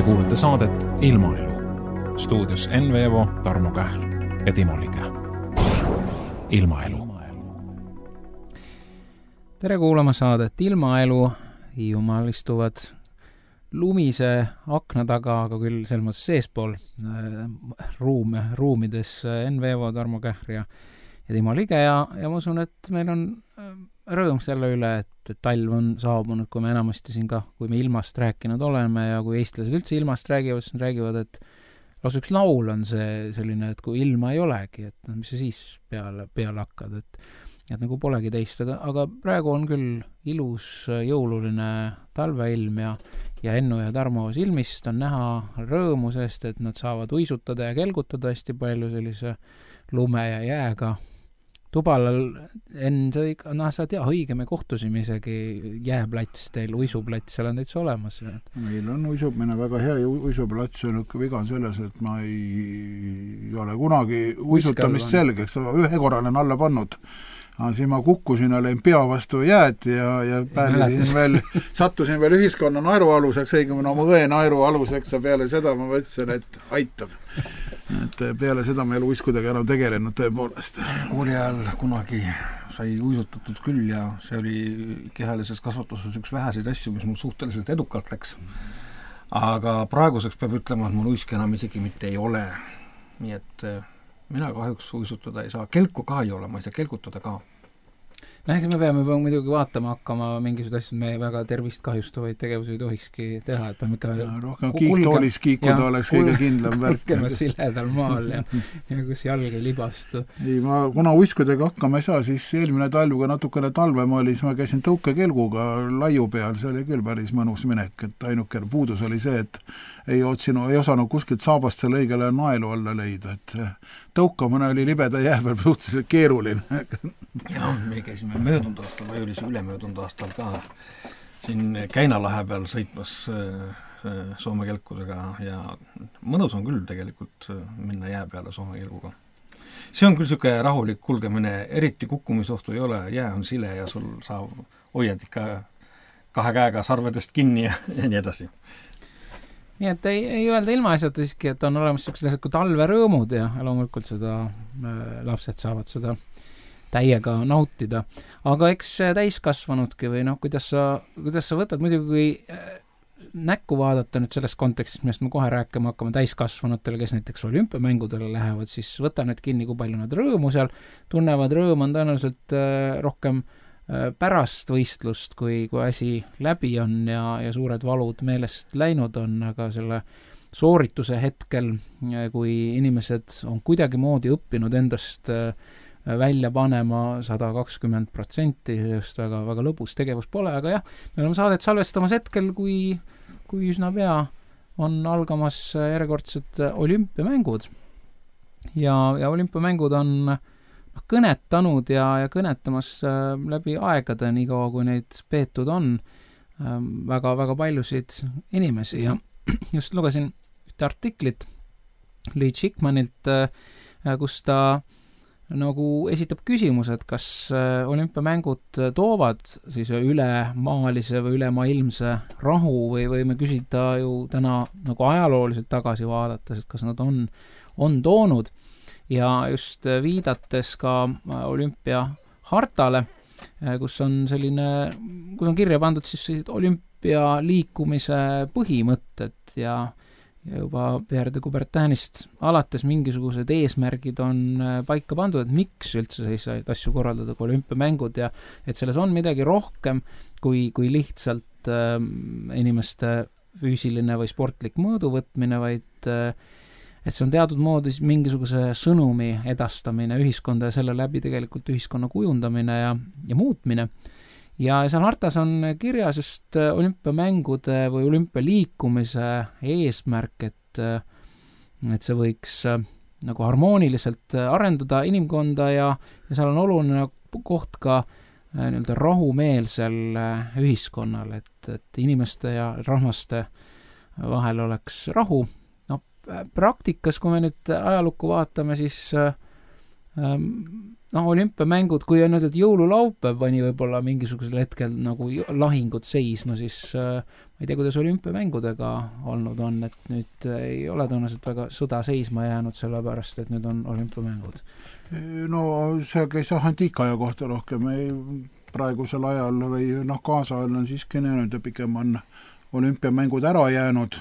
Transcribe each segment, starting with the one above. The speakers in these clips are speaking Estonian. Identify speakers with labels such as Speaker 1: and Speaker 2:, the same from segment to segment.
Speaker 1: kuulate saadet Ilmaelu. Stuudios Enn Veevo, Tarmo Kähl ja Timo Lige. Ilmaelu.
Speaker 2: Tere kuulama saadet Ilmaelu. Hiiumaal istuvad lumise akna taga, aga küll selles mõttes seespool ruumides Enn Veevo, Tarmo Kähr ja Timo Lige ja ma usun, et meil on rõõm selle üle, et talv on saabunud, kui me enamasti siin ka, kui me ilmast rääkinud oleme ja kui eestlased üldse ilmast räägivad, siis räägivad, et lausa üks laul on see selline, et kui ilma ei olegi, et mis sa siis peale hakkad, et nagu polegi teist, aga praegu on küll ilus jõululine talveilm ja Ennu ja Tarmo silmist on näha rõõmu seest, et nad saavad uisutada ja kelgutada hästi palju sellise lume ja jääga. Tubalal Enn, sa tea, õige, me kohtusime isegi jääplats teil, uisuplats, seal on täitsa olemas.
Speaker 3: Meil on uisumine väga hea uisuplats, on viga on selles, et ma ei ole kunagi uisutamist selgeks, ühe korra olen alla pannud. Siis ma kukkusin, olin pea vastu jääd ja sattusin veel ühiskonna naerualuseks, õigemini oma õe naerualuseks ja peale seda ma mõtlesin, et aitab. Et peale seda ma ei ole uiskudega enam tegelenud tõepoolest.
Speaker 4: Kooli ajal kunagi sai uisutatud küll ja see oli kehalises kasvatuses üks väheseid asju, mis mul suhteliselt edukalt läks. Aga praeguseks peab ütlema, et mul uiske enam isegi mitte ei ole. Nii et mina kahjuks uisutada ei saa. Kelku ka ei ole, ma ei saa kelgutada ka.
Speaker 2: Eks me peame muidugi vaatama hakkama mingisugused asjad, me väga tervist kahjustavaid tegevusi ei tohikski teha, et peame ikka
Speaker 3: rohkem kiiktoolis kiikuda oleks kõige kindlam värk.
Speaker 2: Kulgema siledal maal ja kus jalg ei libastu.
Speaker 3: Ei, kuna uiskudega hakkama ei saa, siis eelmine talvuga natukene talvem oli, siis ma käisin tõukekelguga laiu peal, see oli küll päris mõnus minek, et ainuke puudus oli see, et ei osanud kuskilt saabast selle õigele naelu alla leida, et tõukamine oli libeda jää peal suhteliselt keeruline.
Speaker 4: Ja me käisime möödunud aastal või oli see ülemöödunud aastal ka siin Käinalahe peal sõitmas Soome kelkudega ja mõnus on küll tegelikult minna jää peale Soome kelguga. See on küll siuke rahulik kulgemine, eriti kukkumisohtu ei ole, jää on sile ja sul sa hoiad ikka kahe käega sarvedest kinni ja nii edasi.
Speaker 2: Nii et ei öelda ilmaasjata siiski, et on olemas sellised kui talverõõmud ja loomulikult seda lapsed saavad seda täiega nautida. Aga eks täiskasvanudki või kuidas sa võtad muidugi, kui näkku vaadata nüüd selles kontekstis, millest me kohe rääkima hakkame täiskasvanutele, kes näiteks olümpiamängudele lähevad, siis võta nüüd kinni, kui palju nad rõõmu seal tunnevad. Rõõm on tõenäoliselt rohkem pärast võistlust, kui asi läbi on ja suured valud meelest läinud on, aga selle soorituse hetkel, kui inimesed on kuidagi moodi õppinud endast välja panema 120%, just väga, väga lõbus tegevus pole, aga jah, me oleme saadet salvestamas hetkel, kui üsna pea on algamas järjekordsed olümpiamängud. Ja olümpiamängud on kõnetanud ja kõnetamas läbi aegade, nii kaua kui neid peetud on, väga, väga paljusid inimesi ja just lugesin ühte artiklit Lee Chickmanilt, kus ta nagu esitab küsimused, kas olümpiamängud toovad siis ülemaalise või ülemaailmse rahu või me küsida ju täna nagu ajalooliselt tagasi vaadates, et kas nad on toonud ja just viidates ka olümpiahartale, kus on kirja pandud siis olümpialiikumise põhimõtted ja juba Pierre de Coubertinist alates mingisugused eesmärgid on paika pandud, et miks üldse selliseid asju korraldada kui olümpiamängud ja et selles on midagi rohkem kui lihtsalt inimeste füüsiline või sportlik mõõduvõtmine, vaid et see on teatud moodi mingisuguse sõnumi edastamine ühiskonda ja selle läbi tegelikult ühiskonna kujundamine ja muutmine. Ja seal hartas on kirjas just olümpiamängude või olümpialiikumise eesmärk, et see võiks nagu harmooniliselt arendada inimkonda ja seal on oluline koht ka nii-öelda rahumeelsel ühiskonnal, et inimeste ja rahvaste vahel oleks rahu. Praktikas, kui me nüüd ajalukku vaatame, siis olümpiamängud, kui on nüüd jõululaupäev pani võib-olla mingisugusel hetkel nagu lahingud seisma, siis ma ei tea, kuidas olümpiamängudega olnud on, et nüüd ei ole tõenäoliselt väga sõda seisma jäänud, sellepärast, et nüüd on olümpiamängud.
Speaker 3: No see käis antiikaja kohta rohkem, praegusel ajal või kaasajal on siiski näinud ja pigem on olümpiamängud ära jäänud,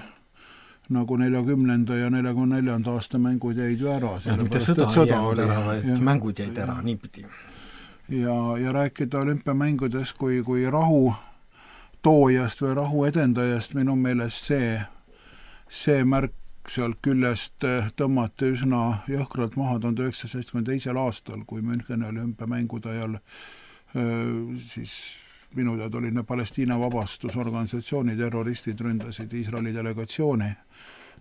Speaker 3: nagu 40. ja 44. aasta mängud jäid ju ära.
Speaker 4: Mitte sõda ei jäänud ära, vaid mängud jäid ära, niipidi.
Speaker 3: Ja rääkida olümpiamängudest kui rahu toojast või rahu edendajast, minu meelest see märk sealt küljest tõmmati üsna jõhkralt maha 1972. aastal, kui Müncheni olümpiamängude ajal siis minu teada oli Palestiina vabastusorganisatsiooni terroristid ründasid Iisraeli delegatsiooni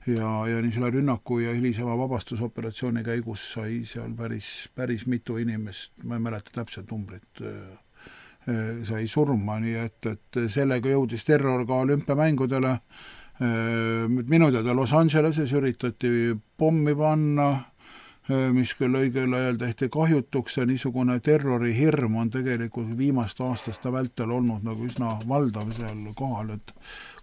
Speaker 3: ja nii selle rünnaku ja hilisema vabastusoperatsiooni käigus sai seal päris mitu inimest, ma ei mäleta täpset numbrit, sai surma, nii et sellega jõudis terror ka olümpiamängudele. Minu teada Los Angeleses üritati pommi panna, mis küll õigel ajal tehti kahjutuks ja niisugune terrorihirm on tegelikult viimast aastaste vältel olnud nagu üsna valdav seal kohal, et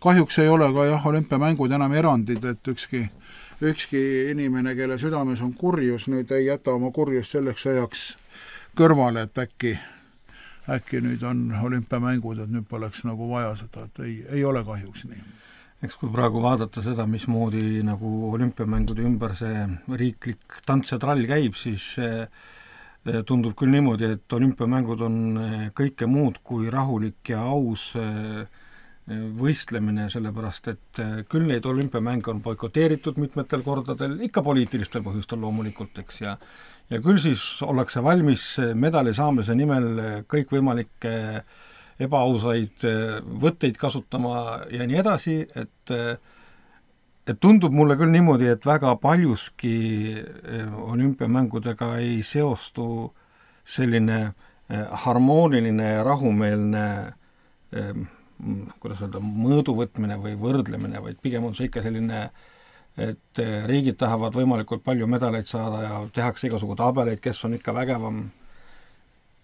Speaker 3: kahjuks ei ole ka olümpiamängud enam erandid, et ükski inimene, kelle südames on kurjus, nüüd ei jäta oma kurjust selleks ajaks kõrvale, et äkki nüüd on olümpiamängud, et nüüd poleks nagu vaja seda, et ei ole kahjuks nii.
Speaker 4: Eks kui praegu vaadata seda, mismoodi nagu olümpiamängude ümber see riiklik tants ja trall käib, siis tundub küll niimoodi, et olümpiamängud on kõike muud kui rahulik ja aus võistlemine, sellepärast et küll neid olümpiamänge on boikoteeritud mitmetel kordadel, ikka poliitilistel põhjustel loomulikult, eks, ja küll siis ollakse valmis medali saamise nimel kõikvõimalikke ebaausaid võtteid kasutama ja nii edasi, et tundub mulle küll niimoodi, et väga paljuski olümpiamängudega ei seostu selline harmooniline ja rahumeelne kuidas öelda, mõõduvõtmine või võrdlemine, vaid pigem on see ikka selline, et riigid tahavad võimalikult palju medaleid saada ja tehakse igasugu tabeleid, kes on ikka vägevam.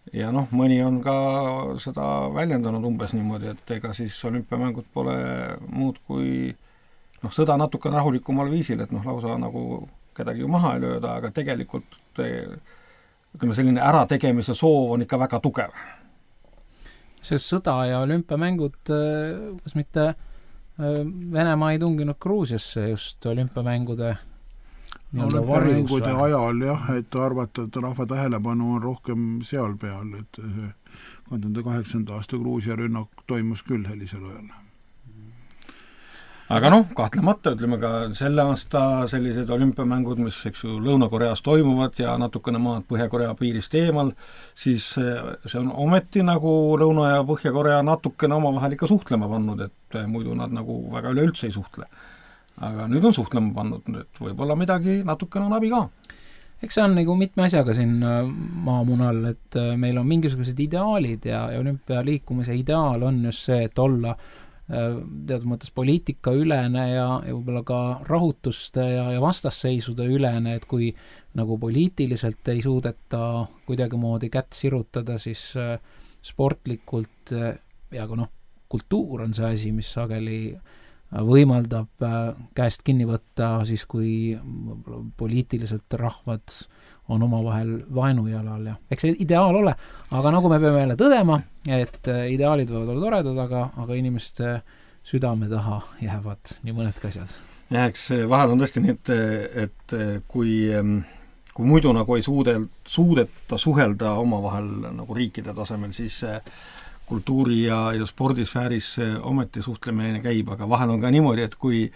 Speaker 4: Ja mõni on ka seda väljendanud umbes niimoodi, et ega siis olümpiamängud pole muud kui sõda natuke rahulikumal viisil, et lausa nagu kedagi ju maha ei lööda, aga tegelikult selline ärategemise soov on ikka väga tugev.
Speaker 2: See sõda ja olümpiamängud, kas mitte Venemaa ei tunginud Gruusiasse just olümpiamängude
Speaker 3: olümpiamängude ajal et arvata, et rahva tähelepanu on rohkem seal peal, et 2008. aasta Gruusia rünnak toimus küll sellisel ajal.
Speaker 4: Aga kahtlemata ütleme ka selle aasta sellised olümpiamängud, mis Lõuna-Koreas toimuvad ja natukene maad Põhja-Korea piirist eemal, siis see on ometi nagu Lõuna- ja Põhja-Korea natukene omavahel ikka suhtlema pannud, et muidu nad nagu väga üleüldse ei suhtle. Aga nüüd on suhtlema pannud, et võib-olla midagi natukene on abi ka.
Speaker 2: Eks see on nagu mitme asjaga siin maamunal, et meil on mingisugused ideaalid ja olümpialiikumise ideaal on just see, et olla teatud mõttes poliitika ülene ja võib-olla ka rahutuste ja vastasseisude ülene, et kui nagu poliitiliselt ei suudeta kuidagimoodi kätt sirutada, siis sportlikult ja ka kultuur on see asi, mis sageli võimaldab käest kinni võtta siis, kui poliitiliselt rahvad on omavahel vaenujalal ja eks see ideaal ole, aga nagu me peame jälle tõdema, et ideaalid võivad olla toredad, aga inimeste südame taha jäävad nii mõnedki asjad.
Speaker 4: Ja eks vahel on tõesti nii, et kui muidu nagu ei suudeta suhelda omavahel nagu riikide tasemel, siis kultuuri- ja spordisfääris ometi suhtlemine käib, aga vahel on ka niimoodi, et kui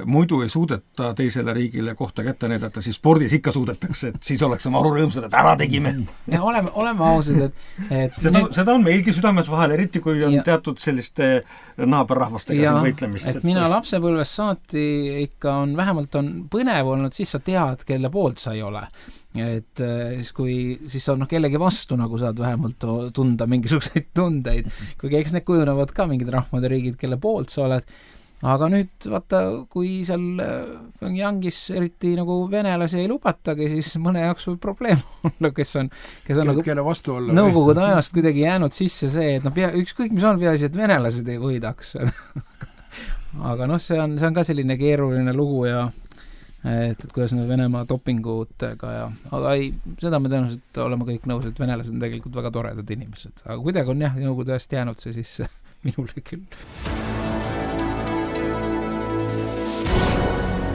Speaker 4: muidu ei suudeta teisele riigile kohta kätte näidata, siis spordis ikka suudetakse, et siis oleks maru rõõmsad, et ära tegime.
Speaker 2: Ja oleme ausad, et
Speaker 4: seda on meilgi südames vahel, eriti kui on teatud selliste naaberrahvastega siin võitlemist.
Speaker 2: Et mina lapsepõlvest saati ikka vähemalt on põnev olnud, siis sa tead, kelle poolt sa ei ole. Et siis on kellegi vastu nagu saad vähemalt tunda mingisuguseid tundeid, kuigi eks need kujunevad ka mingid rahvad ja riigid, kelle poolt sa oled. aga nüüd vaata, kui seal Pyongyangis eriti nagu venelasi ei lubatagi, siis mõne jaoks võib probleem olla, kes on nagu
Speaker 3: kelle vastu olla
Speaker 2: nõukogude ajast kuidagi jäänud sisse see, et ükskõik mis on peaasi, et venelased ei võidaks aga see on ka selline keeruline lugu ja et kuidas need Venemaa dopingutega aga seda me tõenäoliselt oleme kõik nõus, et venelased on tegelikult väga toredad inimesed, aga kuidagi on nõukogude ajast jäänud see sisse minule küll.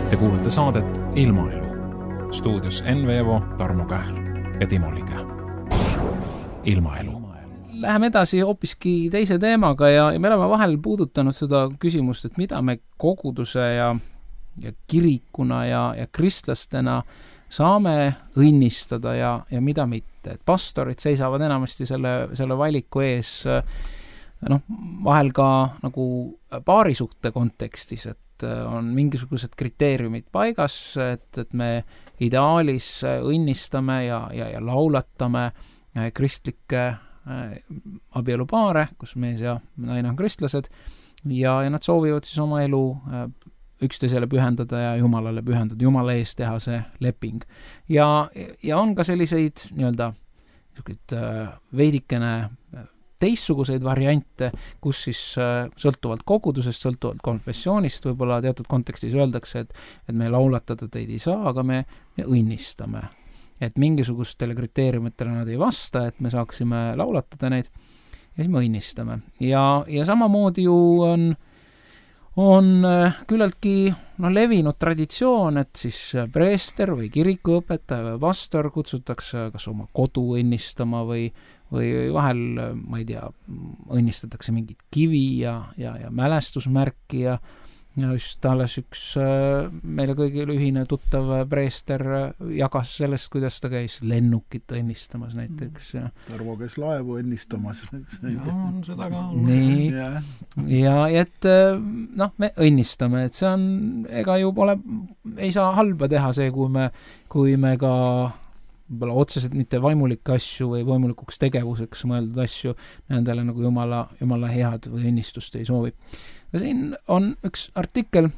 Speaker 1: Te kuulete saadet Ilmaelu. Stuudios Enn Veevo, Tarmo Kähl ja Timo Liga. Ilmaelu.
Speaker 2: Läheme edasi hoopiski teise teemaga ja me oleme vahel puudutanud seda küsimust, et mida me koguduse ja kirikuna ja kristlastena saame õnnistada ja mida mitte. Et pastorid seisavad enamasti selle valiku ees vahel ka nagu paarisuhte kontekstis, et on mingisugused kriteeriumid paigas, et me ideaalis õnnistame ja laulatame kristlikke abielupaare, kus mees ja naine on kristlased ja nad soovivad siis oma elu üksteisele pühendada ja Jumalale pühendada, Jumala ees teha see leping. Ja on ka selliseid veidikene teistsuguseid variante, kus siis sõltuvalt kogudusest, sõltuvalt konfessioonist võib-olla teatud kontekstis öeldakse, et me laulatada teid ei saa, aga me õnnistame. Et mingisugustele kriteeriumitele nad ei vasta, et me saaksime laulatada neid ja siis me õnnistame. Ja samamoodi ju on küllaltki levinud traditsioon, et siis preester või kirikuõpetaja või pastor kutsutakse kas oma kodu õnnistama või vahel, ma ei tea, õnnistatakse mingit kivi ja mälestusmärki ja just alles üks meile kõigile ühine tuttav preester jagas sellest, kuidas ta käis lennukit õnnistamas näiteks.
Speaker 3: Tarvo käis laevu õnnistamas.
Speaker 4: On seda ka.
Speaker 2: Nii. Ja et me õnnistame, et see on, ega ju ei saa halba teha see, kui me ka otseselt mitte vaimulikke asju või vaimulikuks tegevuseks mõeldud asju nendele nagu Jumala head või õnnistust ei soovi. Ja siin on üks artikkel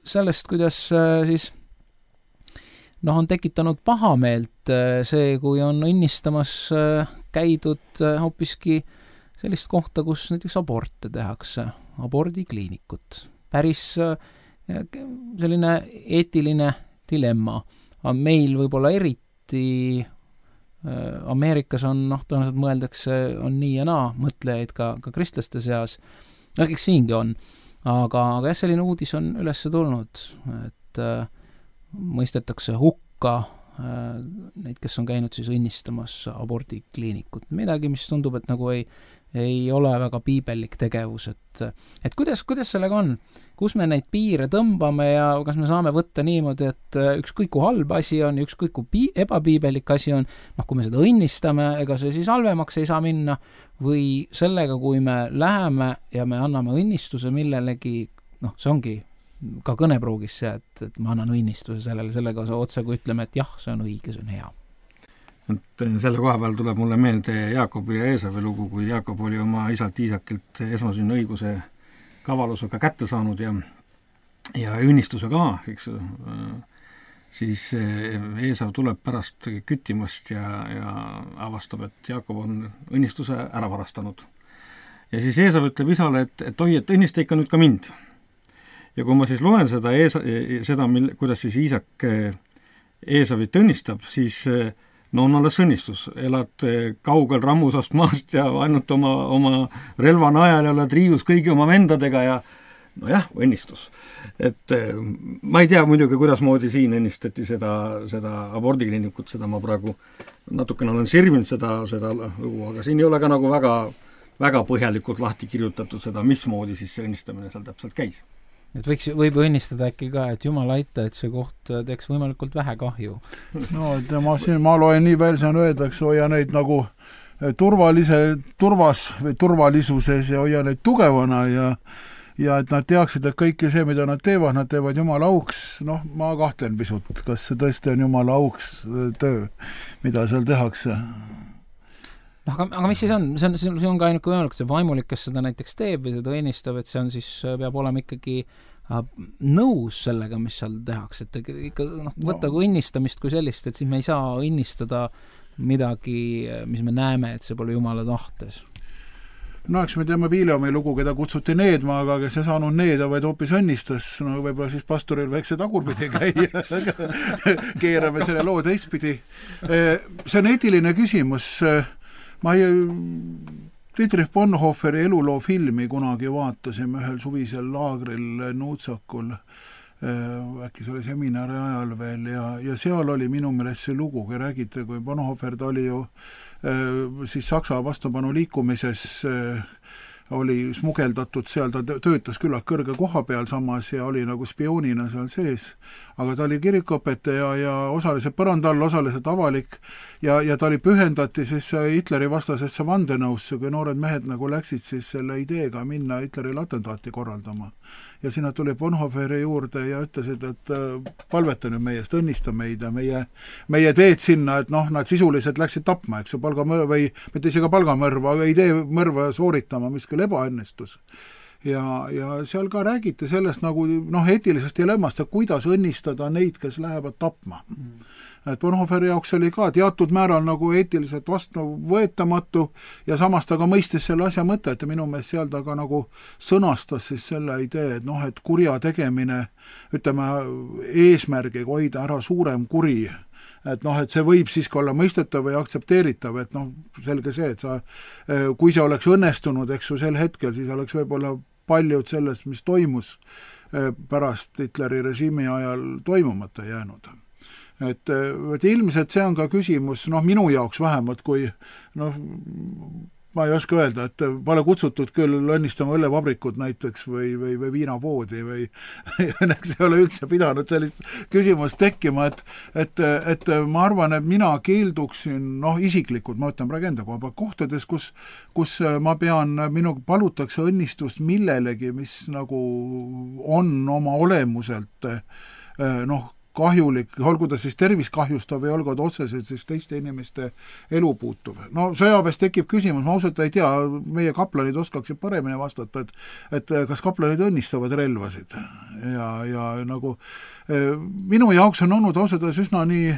Speaker 2: sellest, kuidas siis on tekitanud pahameelt see, kui on õnnistamas käidud hoopiski sellist kohta, kus näiteks aborte tehakse, abordikliinikut. Päris selline eetiline dilemma. Meil võib-olla eriti Ameerikas on, tõenäoliselt mõeldakse, on nii ja naa mõtlejaid ka kristlaste seas. Eks siingi on. Aga selline uudis on üles tulnud, et mõistetakse hukka neid, kes on käinud siis õnnistamas abordikliinikut. Midagi, mis tundub, et nagu ei ole väga piibellik tegevus, et kuidas sellega on? Kus me neid piire tõmbame ja kas me saame võtta niimoodi, et ükskõik kui halb asi on ja ükskõik kui ebapiibelik asi on, kui me seda õnnistame, ega see siis halvemaks ei saa minna, või sellega, kui me läheme ja me anname õnnistuse millelegi, see ongi ka kõnepruugis see, et ma annan õnnistuse sellega otse, kui ütleme, et jah, see on õige, see on hea.
Speaker 4: Et selle koha peal tuleb mulle meelde Jaakobi ja Eesavi lugu, kui Jaakob oli oma isalt Iisakilt esmasünni õiguse kavalusega kätte saanud ja õnnistuse ka, eks ju, siis Eesav tuleb pärast küttimast ja avastab, et Jaakob on õnnistuse ära varastanud. Ja siis Eesav ütleb isale, et oi, et õnnista ikka nüüd ka mind. Ja kui ma siis loen seda kuidas siis Iisak Eesavit õnnistab, siis on alles õnnistus. Elad kaugel rammusast maast ja ainult oma relva najal ja oled riius kõigi oma vendadega ja õnnistus. Et ma ei tea muidugi, kuidas moodi siin õnnistati seda abordikliinikut, seda ma praegu natukene olen sirvinud seda lugu, aga siin ei ole ka nagu väga, väga põhjalikult lahti kirjutatud seda, mismoodi siis see õnnistamine seal täpselt käis.
Speaker 2: Et võib õnnistada äkki ka, et Jumal aita, et see koht teeks võimalikult vähe kahju.
Speaker 3: Ma loen nii veel, siin öeldakse, hoia neid nagu turvalisuses ja hoia neid tugevana ja et nad teaksid, et kõike see, mida nad teevad Jumala auks. Ma kahtlen pisut, kas see tõesti on Jumala auks töö, mida seal tehakse.
Speaker 2: aga mis siis on? See on ka ainuke võimalik, see vaimulik, kes seda näiteks teeb või seda õnnistab, et see on siis, peab olema ikkagi nõus sellega, mis seal tehakse, et ikka võtta kui õnnistamist kui sellist, et siis me ei saa õnnistada midagi, mis me näeme, et see pole Jumala tahtes.
Speaker 3: No eks me teame Viljami lugu, keda kutsuti needma, aga kes ei saanud needa, vaid hoopis õnnistas. No võib-olla siis pastoril väikse tagurpidi käia. Keerame selle loo teistpidi. See on eetiline küsimus. Ma Dietrich Bonhoefferi eluloo filmi kunagi vaatasime ühel suvisel laagril Nuutsakul. Äkki see oli seminari ajal veel ja seal oli minu meelest see lugu, kui räägite, kui Bonhoeffer ta oli ju siis Saksa vastupanu liikumises oli smugeldatud seal, ta töötas küllalt kõrge koha peal samas ja oli nagu spioonina seal sees, aga ta oli kirikuõpetaja ja osaliselt põrandal, osaliselt avalik ja ta oli pühendati siis Hitleri vastasesse vandenõusse, kui noored mehed nagu läksid siis selle ideega minna Hitlerile atentaati korraldama. Ja sinna tuli Bonhoefferi juurde ja ütlesid, et palveta nüüd meiest, õnnista meid ja meie teed sinna, et nad sisuliselt läksid tapma, eks ju, palgamõrva või mitte isegi palgamõrva, aga idee mõrva sooritama, mis küll ebaõnnestus. Ja seal ka räägiti sellest nagu eetilisest dilemmast, et kuidas õnnistada neid, kes lähevad tapma. Et Bonhoefferi jaoks oli ka teatud määral nagu eetiliselt vastuvõetamatu ja samas ta ka mõistis selle asja mõtet ja minu meelest seal ta ka nagu sõnastas siis selle idee, et et kurja tegemine, ütleme, eesmärgiga hoida ära suurem kuri, et see võib siiski olla mõistetav või aktsepteeritav, et selge see, et kui see oleks õnnestunud, eks ju, sel hetkel, siis oleks võib-olla paljud sellest, mis toimus pärast Hitleri režiimi ajal toimumata jäänud. Et ilmselt see on ka küsimus, minu jaoks vähemalt, kui ma ei oska öelda, et pole kutsutud küll õnnistama õllevabrikut näiteks või viinapoodi või õnneks ei ole üldse pidanud sellist küsimust tekkima, et ma arvan, et mina keelduksin, isiklikult, ma ütlen praegu enda koha peal, kohtades, kus ma pean, minu palutakse õnnistust millelegi, mis nagu on oma olemuselt kahjulik, olgu ta siis tervist kahjustav või olgu ta otseselt siis teiste inimeste elu puutuv. Sõjaväes tekib küsimus, ma ausalt ei tea, meie kaplanid oskaksid paremini vastata, et kas kaplanid õnnistavad relvasid ja nagu minu jaoks on olnud ausalt üsna nii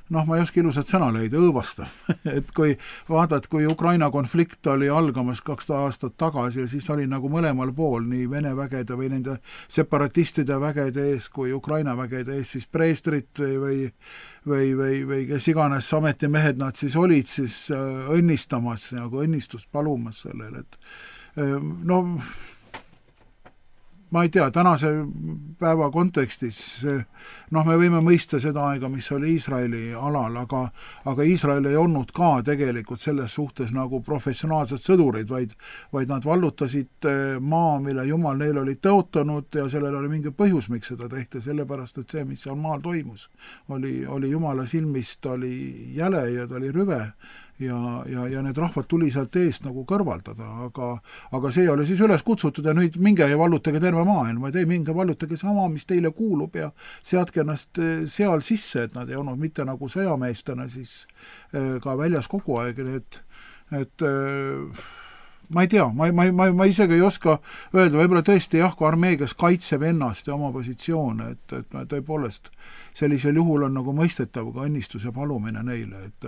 Speaker 3: ma ei oska ilusat sõna leida, õõvastav. Et kui vaadad, kui Ukraina konflikt oli algamas 2 aastat tagasi ja siis oli nagu mõlemal pool, nii Vene vägede või nende separatistide vägede ees kui Ukraina vägede ees, siis preestrid või kes iganes ametimehed nad siis olid siis õnnistamas, nagu õnnistust palumas sellele, et ma ei tea, tänase päeva kontekstis me võime mõista seda aega, mis oli Iisraeli alal, aga Iisrael ei olnud ka tegelikult selles suhtes nagu professionaalsed sõdurid, vaid nad vallutasid maa, mille Jumal neil oli tõotanud ja sellel oli mingi põhjus, miks seda tehti, sellepärast, et see, mis seal maal toimus, oli Jumala silmist, oli jäle ja ta oli rüve ja need rahvad tuli sealt eest nagu kõrvaldada, aga see oli siis üles kutsutud ja nüüd minge ja vallutage terve maailm, vaid ei minge vallutage sama, mis teile kuulub ja seadke ennast seal sisse, et nad ei olnud mitte nagu sõjameestena siis ka väljas kogu aeg, et ma ei tea, ma isegi ei oska öelda, võib-olla tõesti jah, kui armee, kes kaitseb ennast ja oma positsioone, et tõepoolest sellisel juhul on nagu mõistetav ka õnnistuse palumine neile, et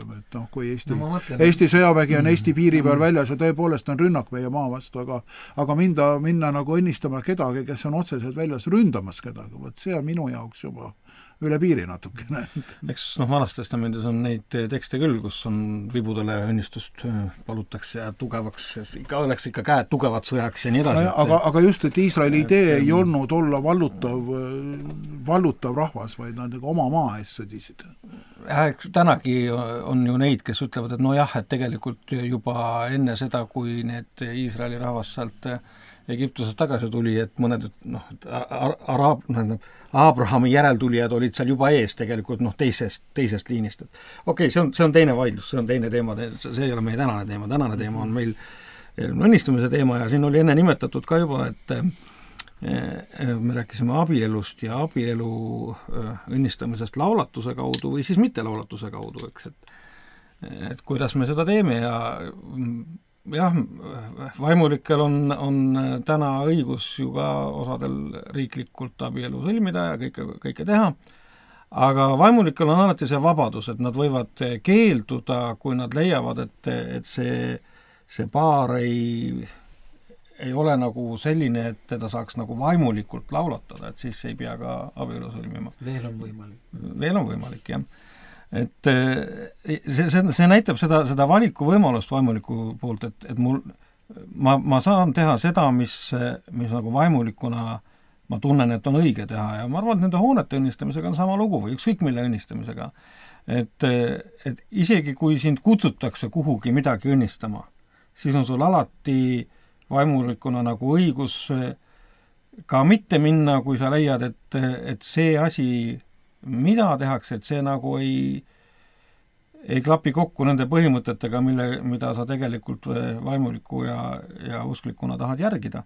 Speaker 3: kui Eesti sõjavägi on Eesti piiri peal väljas ja tõepoolest on rünnak meie maa vastu, aga minna nagu õnnistama kedagi, kes on otseselt väljas ründamas kedagi, võt see on minu jaoks juba üle piiri natukene.
Speaker 4: Eks Vanas Testamendis on neid tekste küll, kus on vibudele õnnistust palutakse ja tugevaks, oleks ikka käed tugevad sõjaks ja nii edasi.
Speaker 3: Aga just, et Iisraeli idee ei olnud olla vallutav rahvas, vaid nad oma maa eest sõdisid.
Speaker 4: Tänagi on ju neid, kes ütlevad, et nojah, et tegelikult juba enne seda, kui need Iisraeli rahvas sealt Egiptusest tagasi tuli, et mõned Abrahami järeltulijad olid seal juba ees tegelikult teisest liinist. Okei, see on teine vaidlus, see on teine teema, see ei ole meie tänane teema on meil õnnistamise teema ja siin oli enne nimetatud ka juba, et me rääkisime abielust ja abielu õnnistamisest laulatuse kaudu või siis mitte laulatuse kaudu, eks, et kuidas me seda teeme ja jah, vaimulikel on täna õigus ju ka osadel riiklikult abielu sõlmida ja kõike teha, aga vaimulikel on alati see vabadus, et nad võivad keelduda, kui nad leiavad, et see paar ei ole nagu selline, et teda saaks nagu vaimulikult laulatada, et siis ei pea ka abielu sõlmima.
Speaker 2: Veel on võimalik.
Speaker 4: Veel on võimalik, jah. Et see näitab seda valikuvõimalust vaimuliku poolt, et ma saan teha seda, mis nagu vaimulikuna ma tunnen, et on õige teha ja ma arvan, et nende hoonete õnnistamisega on sama lugu või ükskõik mille õnnistamisega. Et isegi kui sind kutsutakse kuhugi midagi õnnistama, siis on sul alati vaimulikuna nagu õigus ka mitte minna, kui sa leiad, et see asi mida tehakse, et see nagu ei klapi kokku nende põhimõtetega, mida sa tegelikult vaimuliku ja usklikuna tahad järgida.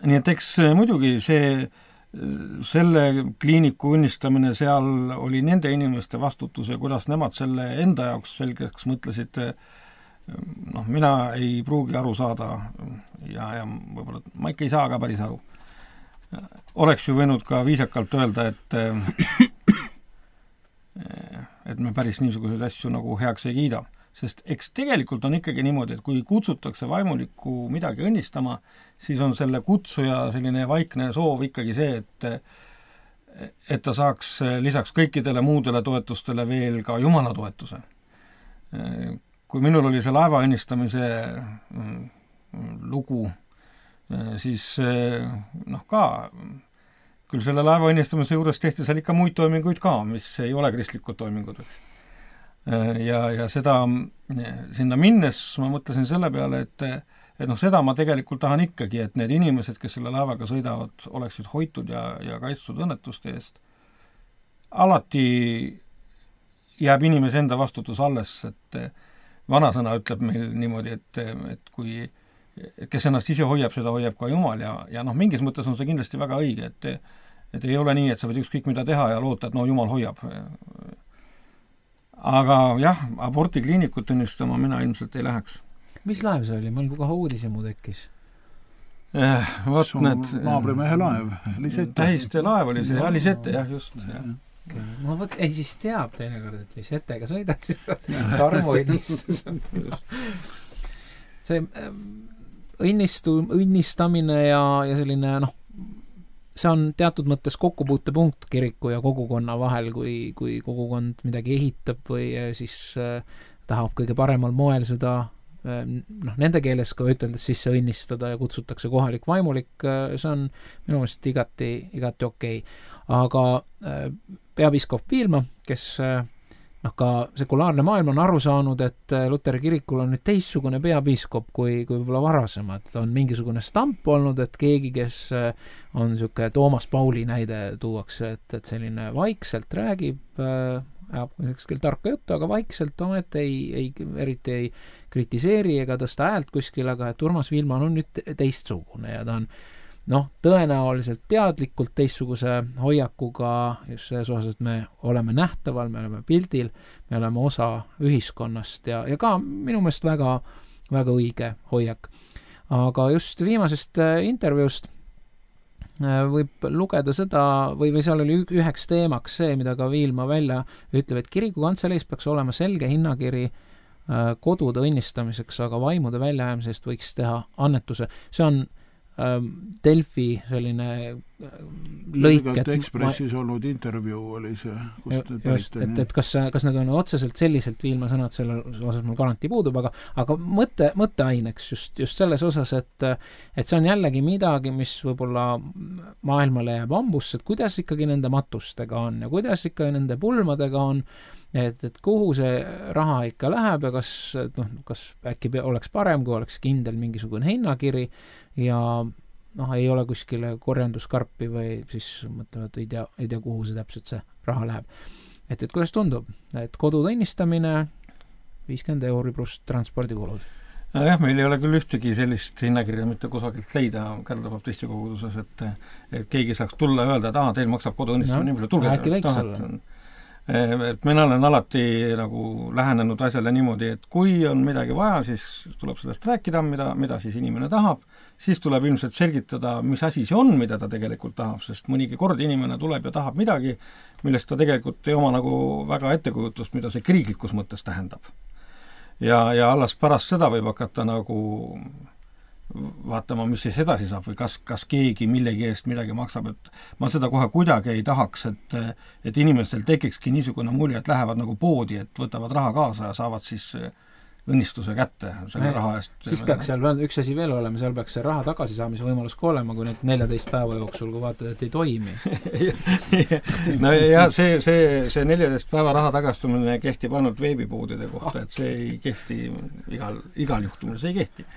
Speaker 4: Nii et eks muidugi selle kliiniku õnnistamine seal oli nende inimeste vastutus ja kuidas nemad selle enda jaoks selgeks mõtlesid, mina ei pruugi aru saada ja võib-olla ma ikka ei saa ka päris aru. Oleks ju võinud ka viisakalt öelda, et me päris niisuguseid asju nagu heaks ei kiida. Sest eks tegelikult on ikkagi niimoodi, et kui kutsutakse vaimulikku midagi õnnistama, siis on selle kutsuja selline vaikne soov ikkagi see, et ta saaks lisaks kõikidele muudele toetustele veel ka Jumala toetuse. Kui minul oli see laeva õnnistamise lugu, siis ka küll selle laeva õnnistamise juures tehti seal ikka muid toiminguid ka, mis ei ole kristlikud toimingud, eks. Ja seda sinna minnes ma mõtlesin selle peale, et seda ma tegelikult tahan ikkagi, et need inimesed, kes selle laevaga sõidavad, oleksid hoitud ja kaitstud õnnetuste eest. Alati jääb inimese enda vastutus alles, et vanasõna ütleb meil niimoodi, et kui kes ennast ise hoiab, seda hoiab ka Jumal ja mingis mõttes on see kindlasti väga õige, et ei ole nii, et sa võid ükskõik mida teha ja loota, et Jumal hoiab. Aga jah, abortikliinikut õnnistama mina ilmselt ei läheks.
Speaker 2: Mis laev see oli? Meil kohe uudisemu tekkis.
Speaker 3: Naabrimehe laev, Lisette.
Speaker 4: Tähiste laev oli see, Lisette, jah, just.
Speaker 2: Ma ei siis teab teinekord, et Lisettega sõidad, siis Tarmo õnnistus. See õnnistamine ja selline, see on teatud mõttes kokkupuutepunkt kiriku ja kogukonna vahel, kui kogukond midagi ehitab või siis tahab kõige paremal moel seda nende keeles ka üteldes sisse õnnistada ja kutsutakse kohalik vaimulik, see on minu meelest igati okei. Aga peapiiskop Viilma, kes ka sekulaarne maailm on aru saanud, et Luteri kirikul on nüüd teistsugune peapiiskop kui võib-olla varasemad. On mingisugune stamp olnud, et keegi, kes on niisugune Toomas Pauli näide tuuakse, et selline vaikselt räägib, ükskõik tarka juttu, aga vaikselt eriti ei kritiseeri ega tõsta häält kuskil, aga et Urmas Viilma on nüüd teistsugune ja ta on tõenäoliselt teadlikult teistsuguse hoiakuga just selles osas, et me oleme nähtaval, me oleme pildil, me oleme osa ühiskonnast ja ka minu meelest väga, väga õige hoiak. Aga just viimasest intervjuust võib lugeda seda, või seal oli üheks teemaks see, mida ka Viilma välja ütleb, et kirikukantseleis peaks olema selge hinnakiri kodude õnnistamiseks, aga vaimude väljajäämisest võiks teha annetuse. See on Delfi selline lõik,
Speaker 3: et Ekspressis olnud intervjuu oli see, kust
Speaker 2: just, et kas need on otseselt selliselt Viilma sõnad, selle osas mul garantii puudub, aga mõtteaineks just selles osas, et see on jällegi midagi, mis võib-olla maailmale jääb ambusse, et kuidas ikkagi nende matustega on ja kuidas ikka nende pulmadega on, et kuhu see raha ikka läheb ja kas äkki oleks parem, kui oleks kindel mingisugune hinnakiri ja ei ole kuskile korjanduskarpi või siis mõtleme, et ei tea, kuhu see täpselt see raha läheb. Et kuidas tundub, et kodude õnnistamine 50 € pluss transpordikulud?
Speaker 4: Jah, meil ei ole küll ühtegi sellist hinnakirja mitte kusagilt leida Kärdla-baptisti koguduses, et keegi saaks tulla ja öelda, et teil maksab kodu õnnistamine nii palju, tulge.
Speaker 2: Äkki võiks olla?
Speaker 4: et mina olen alati nagu lähenenud asjale niimoodi, et kui on midagi vaja, siis tuleb sellest rääkida, mida siis inimene tahab, siis tuleb ilmselt selgitada, mis asi see on, mida ta tegelikult tahab, sest mõnigi kord inimene tuleb ja tahab midagi, millest ta tegelikult ei oma nagu väga ettekujutust, mida see kriiklikus mõttes tähendab. Ja alles pärast seda võib hakata nagu vaatama, mis siis edasi saab või kas keegi millegi eest midagi maksab, et ma seda kohe kuidagi ei tahaks, et inimestel tekikski niisugune mulje, et lähevad nagu poodi, et võtavad raha kaasa ja saavad siis õnnistuse kätte selle raha eest.
Speaker 2: Siis peaks seal üks asi veel olema, seal peaks see raha tagasisaamise võimalus ka olema, kui nüüd 14 päeva jooksul, kui vaatad, et ei toimi.
Speaker 4: No ja see 14 päeva raha tagastumine kehtib ainult veebipoodide kohta, et see ei kehti igal juhtumil, see ei kehti.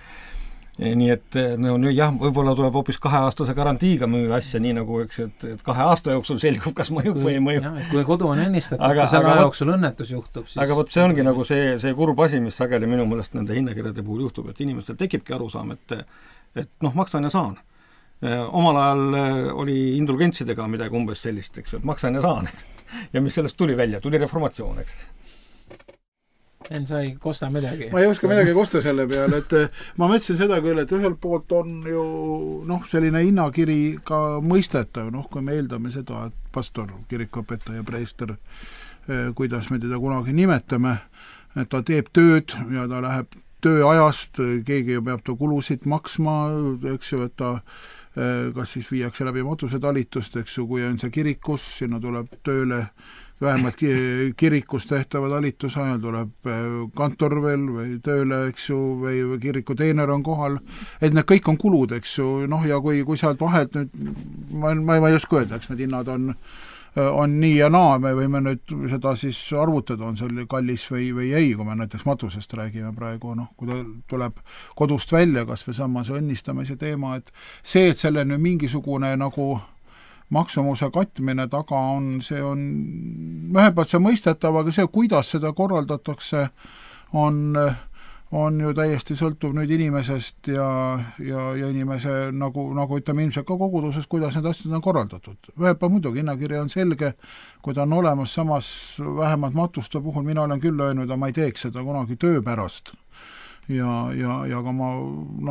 Speaker 4: Nii et no nüüd jah, võib-olla tuleb hoopis 2-aastase garantiiga müüa asja, nii nagu eks, et 2 aasta jooksul selgub, kas mõjub või ei mõju.
Speaker 2: Kui kodu on ennistatud, selle jooksul õnnetus juhtub, siis...
Speaker 4: Aga võt see ongi nagu see kurb asi, mis sageli minu mõelest nende hinnakirjade puhul juhtub, et inimestel tekibki arusaam, et maksan ja saan. Omal ajal oli indulgentsidega midagi umbes sellist, eks, et maksan ja saan. Ja mis sellest tuli välja? Tuli reformatsioon, eks.
Speaker 2: En sa ei kosta midagi.
Speaker 3: Ma ei oska midagi kosta selle peale, et ma mõtlesin seda küll, et ühelt poolt on ju selline hinnakiri ka mõistetav, kui me eeldame seda, et pastor, kirikuõpetaja, preester, kuidas me teda kunagi nimetame, et ta teeb tööd ja ta läheb tööajast, keegi ju peab ta kulusid maksma, eks ju, et ta kas siis viiakse läbi matusetalitust, eks ju, kui on see kirikus, sinna tuleb tööle vähemalt kirikus tehtava talituse ajal tuleb kantor veel või tööle, eks ju, või kiriku teener on kohal, et need kõik on kulud, eks ju, ja kui sealt vahelt nüüd, ma ei oska öelda, eks need hinnad on nii ja naa, me võime nüüd seda siis arvutada, on seal kallis või ei, kui me näiteks matusest räägime praegu, kui ta tuleb kodust välja, kas või samas õnnistamise teema, et see, et selle nüüd mingisugune nagu maksumuse katmine taga on, see on ühelt poolt see mõistetav, aga see, kuidas seda korraldatakse, on ju täiesti sõltuv nüüd inimesest ja inimese nagu ütleme ilmselt ka koguduses, kuidas need asjad on korraldatud. Ühelt poolt muidugi hinnakiri on selge, kui ta on olemas, samas vähemalt matuste puhul mina olen küll öelnud, ma ei teeks seda kunagi töö pärast. Ja ka ma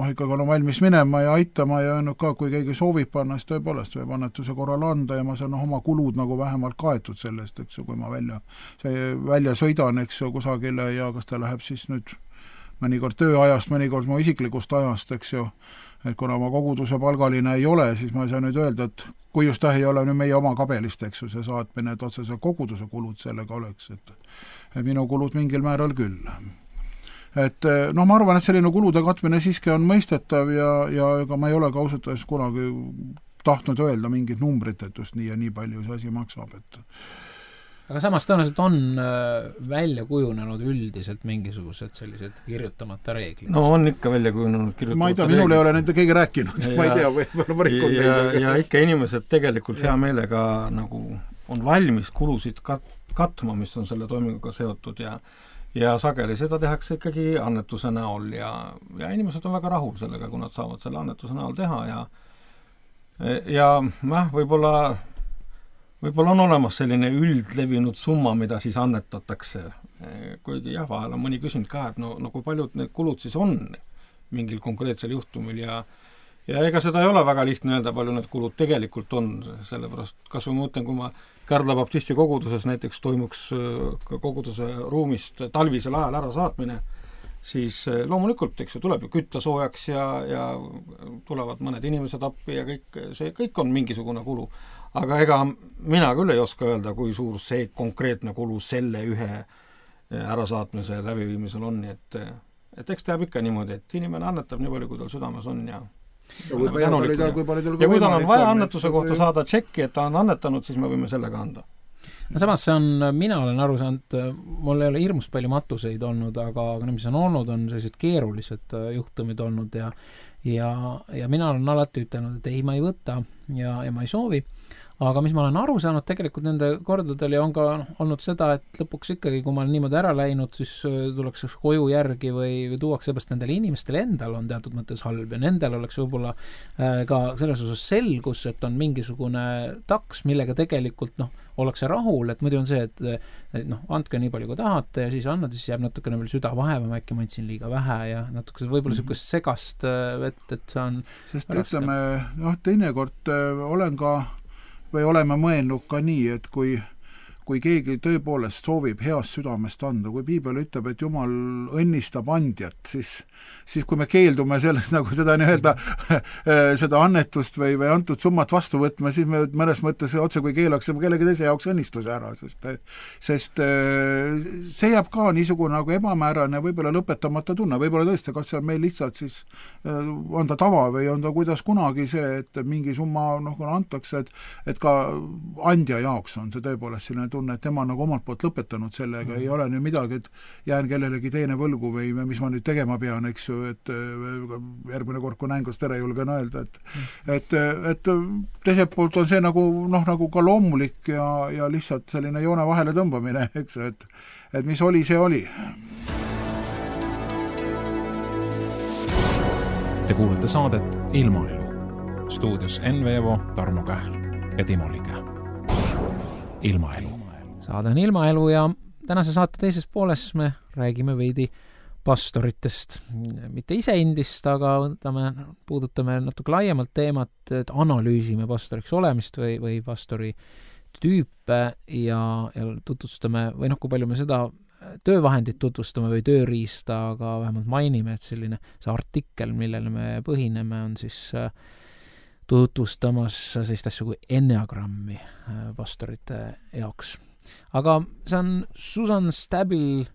Speaker 3: ikkagi olen valmis minema ja aitama ja öelnud ka, kui keegi soovib panna, siis tõepoolest võib annetuse korral anda ja ma saan oma kulud nagu vähemalt kaetud sellest, eks ju, kui ma välja sõidan, eks ju, kusagile ja kas ta läheb siis nüüd mõnikord tööajast, mõnikord mu isiklikust ajast, eks ju, et kuna ma koguduse palgaline ei ole, siis ma ei saa nüüd öelda, et kui just ei ole nüüd meie oma kabelist, eks ju, see saatmine, et otseselt koguduse kulud sellega oleks, et minu kulud mingil määral küll. Et ma arvan, et selline kulude katmine siiski on mõistetav ja ega ma ei ole ka ausalt kunagi tahtnud öelda mingit numbrit, et just nii ja nii palju see asi maksab.
Speaker 2: Aga samas tõenäoliselt on välja kujunenud üldiselt mingisugused sellised kirjutamata reeglid.
Speaker 4: No on ikka välja kujunenud kirjutamata
Speaker 3: ma ei tea, minul ei ole nende keegi rääkinud, ma ei tea, võib-olla
Speaker 4: ja ikka inimesed tegelikult hea meelega nagu on valmis kulusid katma, mis on selle toiminguga seotud ja sageli seda tehakse ikkagi annetuse näol ja inimesed on väga rahul sellega, kui nad saavad selle annetuse näol teha ja võib-olla on olemas selline üldlevinud summa, mida siis annetatakse. Kuigi jah, vahel on mõni küsinud ka, et no kui paljud need kulud siis on mingil konkreetsel juhtumil ja ega seda ei ole väga lihtne öelda, palju need kulud tegelikult on, sellepärast kas või ma mõtlen, kui ma Kärdla baptisti koguduses näiteks toimuks koguduse ruumist talvisel ajal ära saatmine, siis loomulikult, eks ju, tuleb ju kütta soojaks ja tulevad mõned inimesed appi ja kõik on mingisugune kulu. Aga ega mina küll ei oska öelda, kui suur see konkreetne kulu selle ühe ärasaatmise läbiviimisel on, et eks teab ikka niimoodi, et inimene annetab nii palju, kui tal südames on ja kui tal on vaja annetuse kohta saada tšekki, et ta on annetanud, siis me võime sellega anda.
Speaker 2: No samas mina olen aru saanud, mul ei ole hirmus palju matuseid olnud, aga mis on olnud, on sellised keerulised juhtumid olnud ja mina olen alati ütelnud, et ei, ma ei võta, ja ma ei soovi. Aga mis ma olen aru saanud tegelikult nende kordadel ja on ka olnud seda, et lõpuks ikkagi, kui ma olen niimoodi ära läinud, siis tullakse koju järgi või tuuakse, seepärast nendel inimestel endal on teatud mõttes halb ja nendel oleks võib-olla ka selles osas selgus, et on mingisugune taks, millega tegelikult ollakse rahul, et muidu on see, et andke nii palju, kui tahate ja siis annad, siis jääb natukene veel süda vaevama, äkki ma andsin liiga vähe ja natuke võib-olla niisugust segast vett, et see on
Speaker 3: sest ütleme, teinekord olen ka või oleme mõelnud ka nii, et kui keegi tõepoolest soovib heast südamest anda, kui piibel ütleb, et Jumal õnnistab andjat, siis kui me keeldume sellest nagu seda nii-öelda seda annetust või antud summat vastu võtma, siis me mõnes mõttes otse kui keelaksime kellegi teise jaoks õnnistuse ära, sest see jääb ka niisugune nagu ebamäärane võib-olla lõpetamata tunne, võib-olla tõesti, kas see on meil lihtsalt siis on ta tava või on ta kuidas kunagi see, et mingi summa kui antakse, et ka andja jaoks on see tõepoolest selline tunne, et tema nagu omalt poolt lõpetanud sellega, ei ole nüüd midagi, et jään kellelegi teine võlgu või mis ma nüüd tegema pean, eks ju, et järgmine kord, kui näen, kas tere julgen öelda, et teiselt poolt on see nagu ka loomulik ja lihtsalt selline joone vahele tõmbamine, eks ju, et mis oli, see oli.
Speaker 1: Te kuulete saadet Ilmaelu. Stuudios Enn Veevo, Tarmo Kähl ja Timo Liga. Ilmaelu.
Speaker 2: Saade on Ilmaelu ja tänase saate teises pooles me räägime veidi pastoritest. Mitte iseendist, aga puudutame natuke laiemalt teemat, et analüüsime pastoriks olemist või pastori tüüpe ja tutvustame, või kui palju me seda töövahendit tutvustame või tööriista, aga vähemalt mainime, et selline see artikkel, millele me põhineme, on siis tutvustamas sellist asju kui enneagrammi pastorite jaoks. Aga see on Susan Stabile,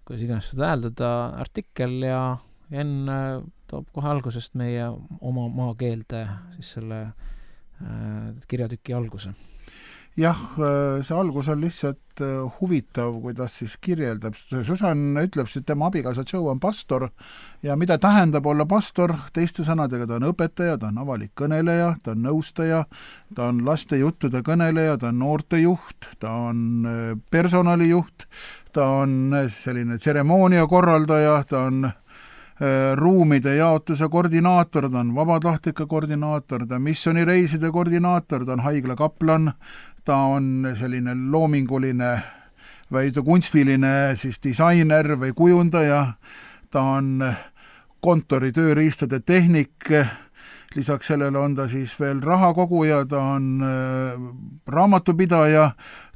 Speaker 2: kuidas iganes seda hääldada, artikkel ja Enn toob kohe algusest meie oma maakeelde siis selle kirjatüki alguse.
Speaker 3: Jah, see algus on lihtsalt huvitav, kuidas siis kirjeldab. Susan ütleb, et tema abikaasa Joe on pastor ja mida tähendab olla pastor, teiste sõnadega ta on õpetaja, ta on avalik kõneleja, ta on nõustaja, ta on laste juttude kõneleja, ta on noortejuht, ta on personalijuht, ta on selline tseremoonia korraldaja, ta on ruumide jaotuse koordinaator, ta on vabatahtlike koordinaator, ta on missioonireiside koordinaator, ta on haiglakaplan, ta on selline loominguline või kunstiline siis disainer või kujundaja, ta on kontori tööriistade tehnik, lisaks sellele on ta siis veel rahakoguja, ta on raamatupidaja,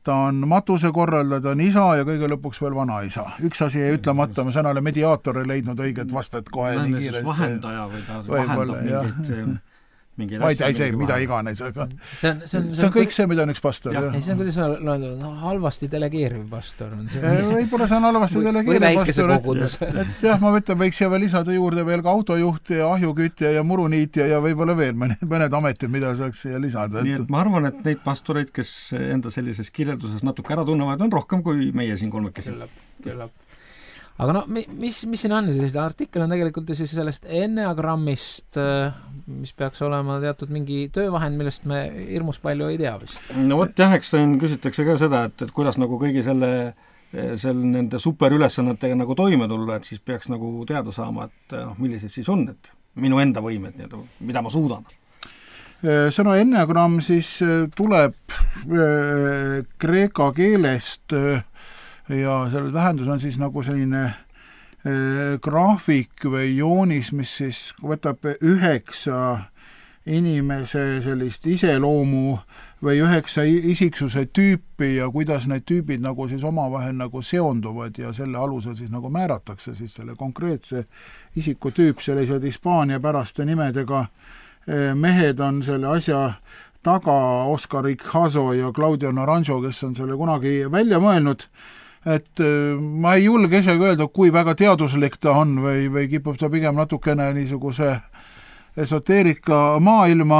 Speaker 3: ta on matusekorraldaja, ta on isa ja kõige lõpuks veel vanaisa. Üks asi ei ütlemata, ma sõnale mediaator ei leidnud õiget vastet kohe nii kiiresti.
Speaker 4: Vahendaja või ta vahendab mingeid
Speaker 3: asja. Mida iganes, aga see on kõik see, mida on üks pastor.
Speaker 2: See on, kuidas on halvasti delegeeriv pastor.
Speaker 3: Võib-olla see on halvasti delegeeriv pastor, et jah, ma mõtlen, võiks siia veel lisada juurde veel ka autojuht ja ahjukütja ja muruniitja ja võib-olla veel mõned ametid, mida saaks siia lisada.
Speaker 4: Nii et ma arvan, et neid pastoreid, kes enda sellises kirjelduses natuke ära tunnevad, on rohkem kui meie siin kolmekesi.
Speaker 2: Küllab. Aga mis siin on? Artikkel on tegelikult siis sellest enneagrammist, mis peaks olema teatud mingi töövahend, millest me hirmus palju ei tea vist.
Speaker 4: No vot jah, eks küsitakse ka seda, et kuidas nagu kõigi nende superülesannetega nagu toime tulla, et siis peaks nagu teada saama, et millised siis on, et minu enda võimed, mida ma suudan.
Speaker 3: Sõna enneagramm siis tuleb kreeka keelest ja selle tähendus on siis nagu selline graafik või joonis, mis siis võtab 9 inimese sellist iseloomu või 9 isiksuse tüüpi ja kuidas need tüübid nagu siis omavahel nagu seonduvad ja selle alusel siis nagu määratakse siis selle konkreetse isiku tüüp, sellised Hispaania päraste nimedega mehed on selle asja taga, Oscar Icazo ja Claudio Naranjo, kes on selle kunagi välja mõelnud, et ma ei julge isegi öelda, kui väga teaduslik ta on või kipub ta pigem natukene niisuguse esoteerika maailma,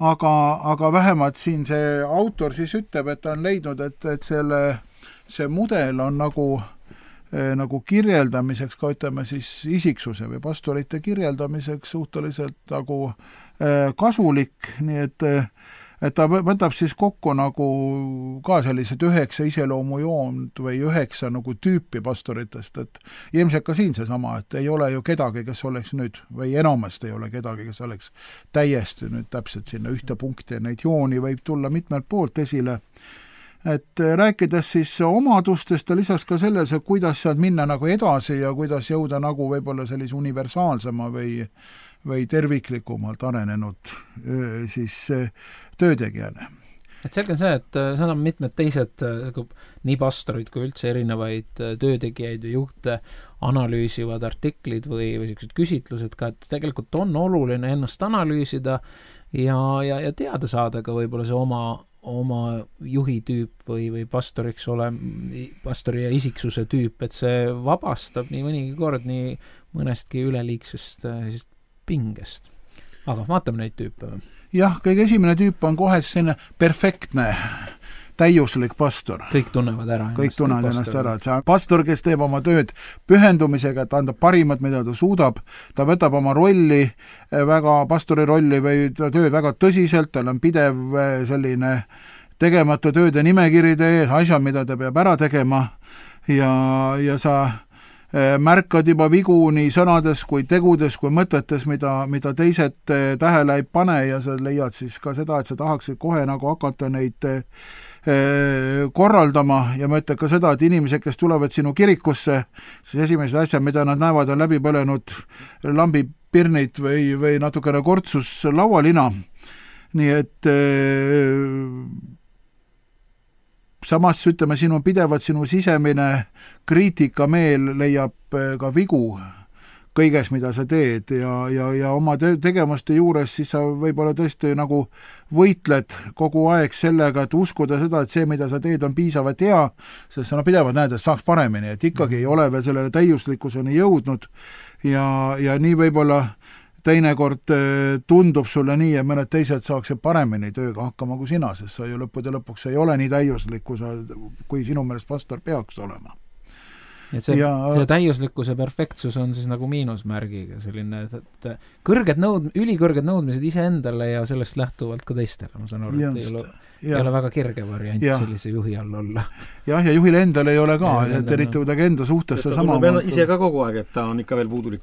Speaker 3: aga vähemalt siin see autor siis ütleb, et ta on leidnud, et see mudel on nagu nagu kirjeldamiseks, ka ütleme siis isiksuse või pastorite kirjeldamiseks suhteliselt nagu kasulik, nii et ta võtab siis kokku nagu ka sellised 9 iseloomujoont või 9 nagu tüüpi pastoritest, et ilmselt ka siin seesama, et ei ole ju kedagi, kes oleks nüüd, või enamasti ei ole kedagi, kes oleks täiesti nüüd täpselt sinna ühte punkti, neid jooni võib tulla mitmelt poolt esile. Et rääkides siis omadustest ja lisaks ka selles, et kuidas sealt minna nagu edasi ja kuidas jõuda nagu võib-olla sellise universaalsema või terviklikumalt arenenud siis töötegijana.
Speaker 2: Et selge on see, et seal on mitmed teised nii pastorid kui üldse erinevaid töötegijaid ja juhte analüüsivad artiklid või sellised küsitlused ka, et tegelikult on oluline ennast analüüsida ja teada saada ka võib-olla see oma juhi tüüp või pastoriks pastori ja isiksuse tüüp, et see vabastab nii mõnigi kord nii mõnestki üleliigsest pingest. Aga vaatame neid tüüpe.
Speaker 3: Jah, kõige esimene tüüp on kohe selline perfektne, täiuslik pastor.
Speaker 2: Kõik tunnevad ennast ära. Et see
Speaker 3: pastor, kes teeb oma tööd pühendumisega, et anda parimat, mida ta suudab, ta võtab oma pastori rolli või tööd väga tõsiselt, tal on pidev selline tegemata tööde nimekiride ees, asjad, mida ta peab ära tegema ja sa märkad juba vigu nii sõnades kui tegudes kui mõtetes, mida teised tähele ei pane ja sa leiad siis ka seda, et sa tahaksid kohe nagu hakata neid korraldama ja ma ütlen ka seda, et inimesed, kes tulevad sinu kirikusse, siis esimesed asjad, mida nad näevad, on läbi põlenud lambipirnid või natukene kortsus laualina. Nii et samas ütleme, sinu sisemine kriitikameel leiab ka vigu kõiges, mida sa teed ja oma tegemuste juures siis sa võib-olla tõesti nagu võitled kogu aeg sellega, et uskuda seda, et see, mida sa teed, on piisavalt hea, sest sa pidevalt näed, et saaks paremini, et ikkagi ei ole veel sellele täiuslikkuseni jõudnud ja nii võib-olla teinekord tundub sulle nii, et mõned teised saaksid paremini tööga hakkama kui sina, sest sa ju lõpuks ei ole nii täiuslik, kui sinu meelest pastor peaks olema.
Speaker 2: Et see täiuslikkuse perfektsus on siis nagu miinusmärgiga selline, et ülikõrged nõudmised iseendale ja sellest lähtuvalt ka teistele, ma saan aru, et ei ole väga kirge variant sellise juhi all olla.
Speaker 3: Ja juhil endal ei ole ka, et eriti kuidagi enda suhtes see sama.
Speaker 4: Ta ise ka kogu aeg, et ta on ikka veel puudulik.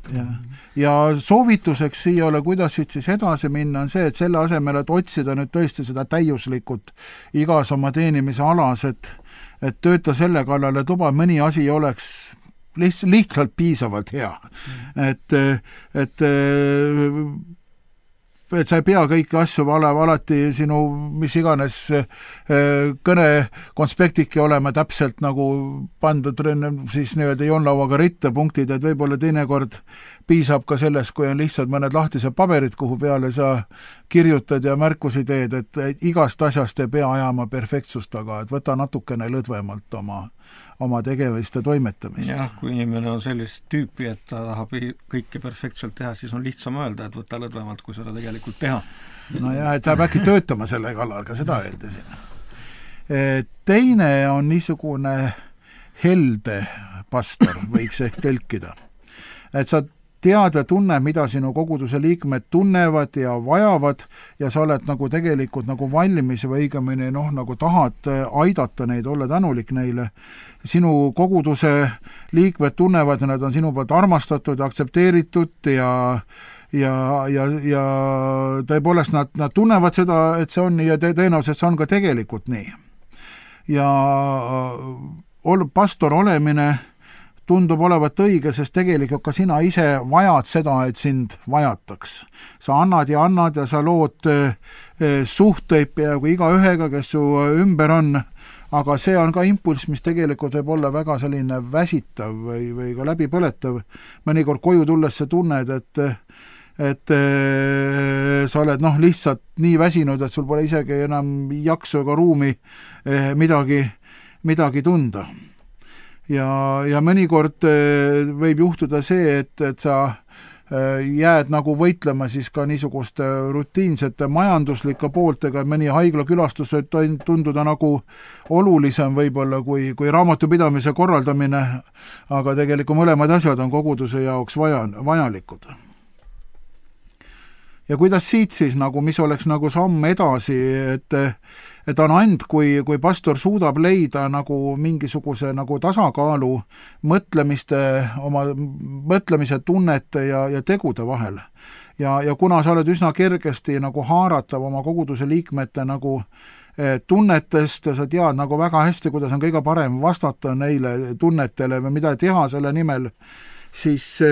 Speaker 3: Ja soovituseks siia ole, kuidas siis edasi minna, on see, et selle asemel, et otsida nüüd tõesti seda täiuslikut igas oma teenimise alas, et tööta selle kallal, et luba mõni asi oleks lihtsalt piisavalt hea. Et sa ei pea kõiki asju alati sinu mis iganes kõne konspektiki olema täpselt nagu pandud siis nii-öelda joonlauaga ritta punktid, et võib-olla teinekord piisab ka sellest, kui on lihtsalt mõned lahtised paberid, kuhu peale sa kirjutad ja märkusi teed, et igast asjast ei pea ajama perfektsust, aga et võta natukene lõdvemalt oma tegemist ja toimetamist.
Speaker 4: Jah, kui inimene on sellist tüüpi, et ta tahab kõike perfektselt teha, siis on lihtsam öelda, et võta lõdvemalt, kui seda tegelikult teha.
Speaker 3: No ja, et sa äkki töötama selle kallal, ka seda öeldasin. Teine on niisugune helde pastor, võiks ehk tõlkida. Et sa tead ja tunne, mida sinu koguduse liikmed tunnevad ja vajavad ja sa oled nagu tegelikult nagu valmis või õigemini nagu tahad aidata neid, olla tänulik neile. Sinu koguduse liikmed tunnevad ja nad on sinu poolt armastatud, aktsepteeritud ja tõepoolest nad tunnevad seda, et see on nii ja tõenäoliselt see on ka tegelikult nii. Ja pastor olemine tundub olevat õige, sest tegelikult ka sina ise vajad seda, et sind vajataks. Sa annad ja sa lood suhteid peaaegu igaühega, kes su ümber on, aga see on ka impulss, mis tegelikult võib olla väga selline väsitav või ka läbipõletav. Mõnikord koju tulles sa tunned, et sa oled lihtsalt nii väsinud, et sul pole isegi enam jaksu ega ruumi midagi tunda. Ja mõnikord võib juhtuda see, et sa jääd nagu võitlema siis ka niisuguste rutiinsete majanduslike pooltega, mõni haiglakülastus võib tunduda nagu olulisem võib-olla kui raamatupidamise korraldamine, aga tegelikult mõlemad asjad on koguduse jaoks vajalikud. Ja kuidas siit siis nagu, mis oleks nagu samm edasi, et on ainult, kui pastor suudab leida nagu mingisuguse nagu tasakaalu oma mõtlemise, tunnete ja tegude vahel. Ja kuna sa oled üsna kergesti nagu haaratav oma koguduse liikmete nagu tunnetest ja sa tead nagu väga hästi, kuidas on kõige parem vastata neile tunnetele või mida teha selle nimel, siis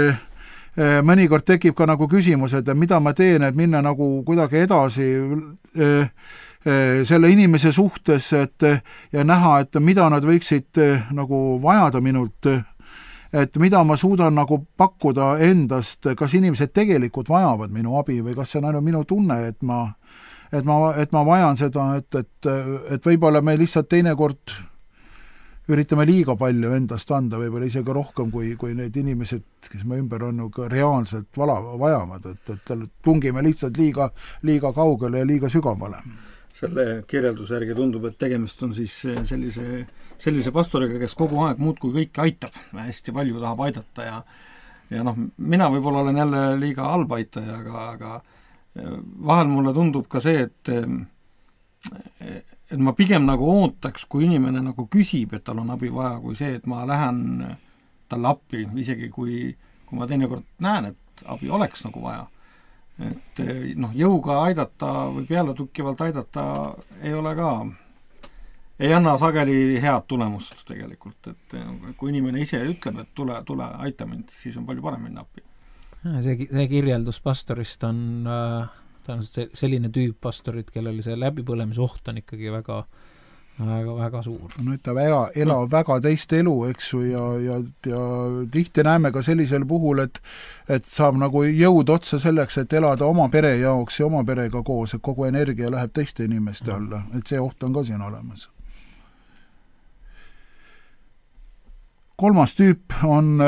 Speaker 3: mõnikord tekib ka nagu küsimus, et mida ma teen, et minna nagu kuidagi edasi selle inimese suhtes, ja näha, et mida nad võiksid nagu vajada minult, et mida ma suudan nagu pakkuda endast, kas inimesed tegelikult vajavad minu abi või kas see on ainult minu tunne, et ma vajan seda, et võib-olla me lihtsalt teinekord üritame liiga palju endast anda, võib-olla isegi rohkem kui need inimesed, kes me ümber on, ka reaalselt vajavad, et tungime lihtsalt liiga kaugele ja liiga sügavale.
Speaker 4: Selle kirjelduse järgi tundub, et tegemist on siis sellise pastoriga, kes kogu aeg muudkui kõike aitab, hästi palju tahab aidata ja mina võib-olla olen jälle liiga halb aitaja, aga vahel mulle tundub ka see, et ma pigem nagu ootaks, kui inimene nagu küsib, et tal on abi vaja, kui see, et ma lähen talle appi, isegi kui ma teinekord näen, et abi oleks nagu vaja. Et jõuga aidata või pealetukkivalt aidata ei anna sageli head tulemust tegelikult, et kui inimene ise ütleb, et tule aita mind, siis on palju parem minna appi.
Speaker 2: See kirjeldus pastorist on selline tüüp pastorid, kellel see läbipõlemise oht on ikkagi väga suur.
Speaker 3: No ta elab väga teist elu, eks ju, ja tihti näeme ka sellisel puhul, et saab nagu jõud otsa selleks, et elada oma pere jaoks ja oma perega koos, et kogu energia läheb teiste inimeste alla, et see oht on ka siin olemas. Kolmas tüüp on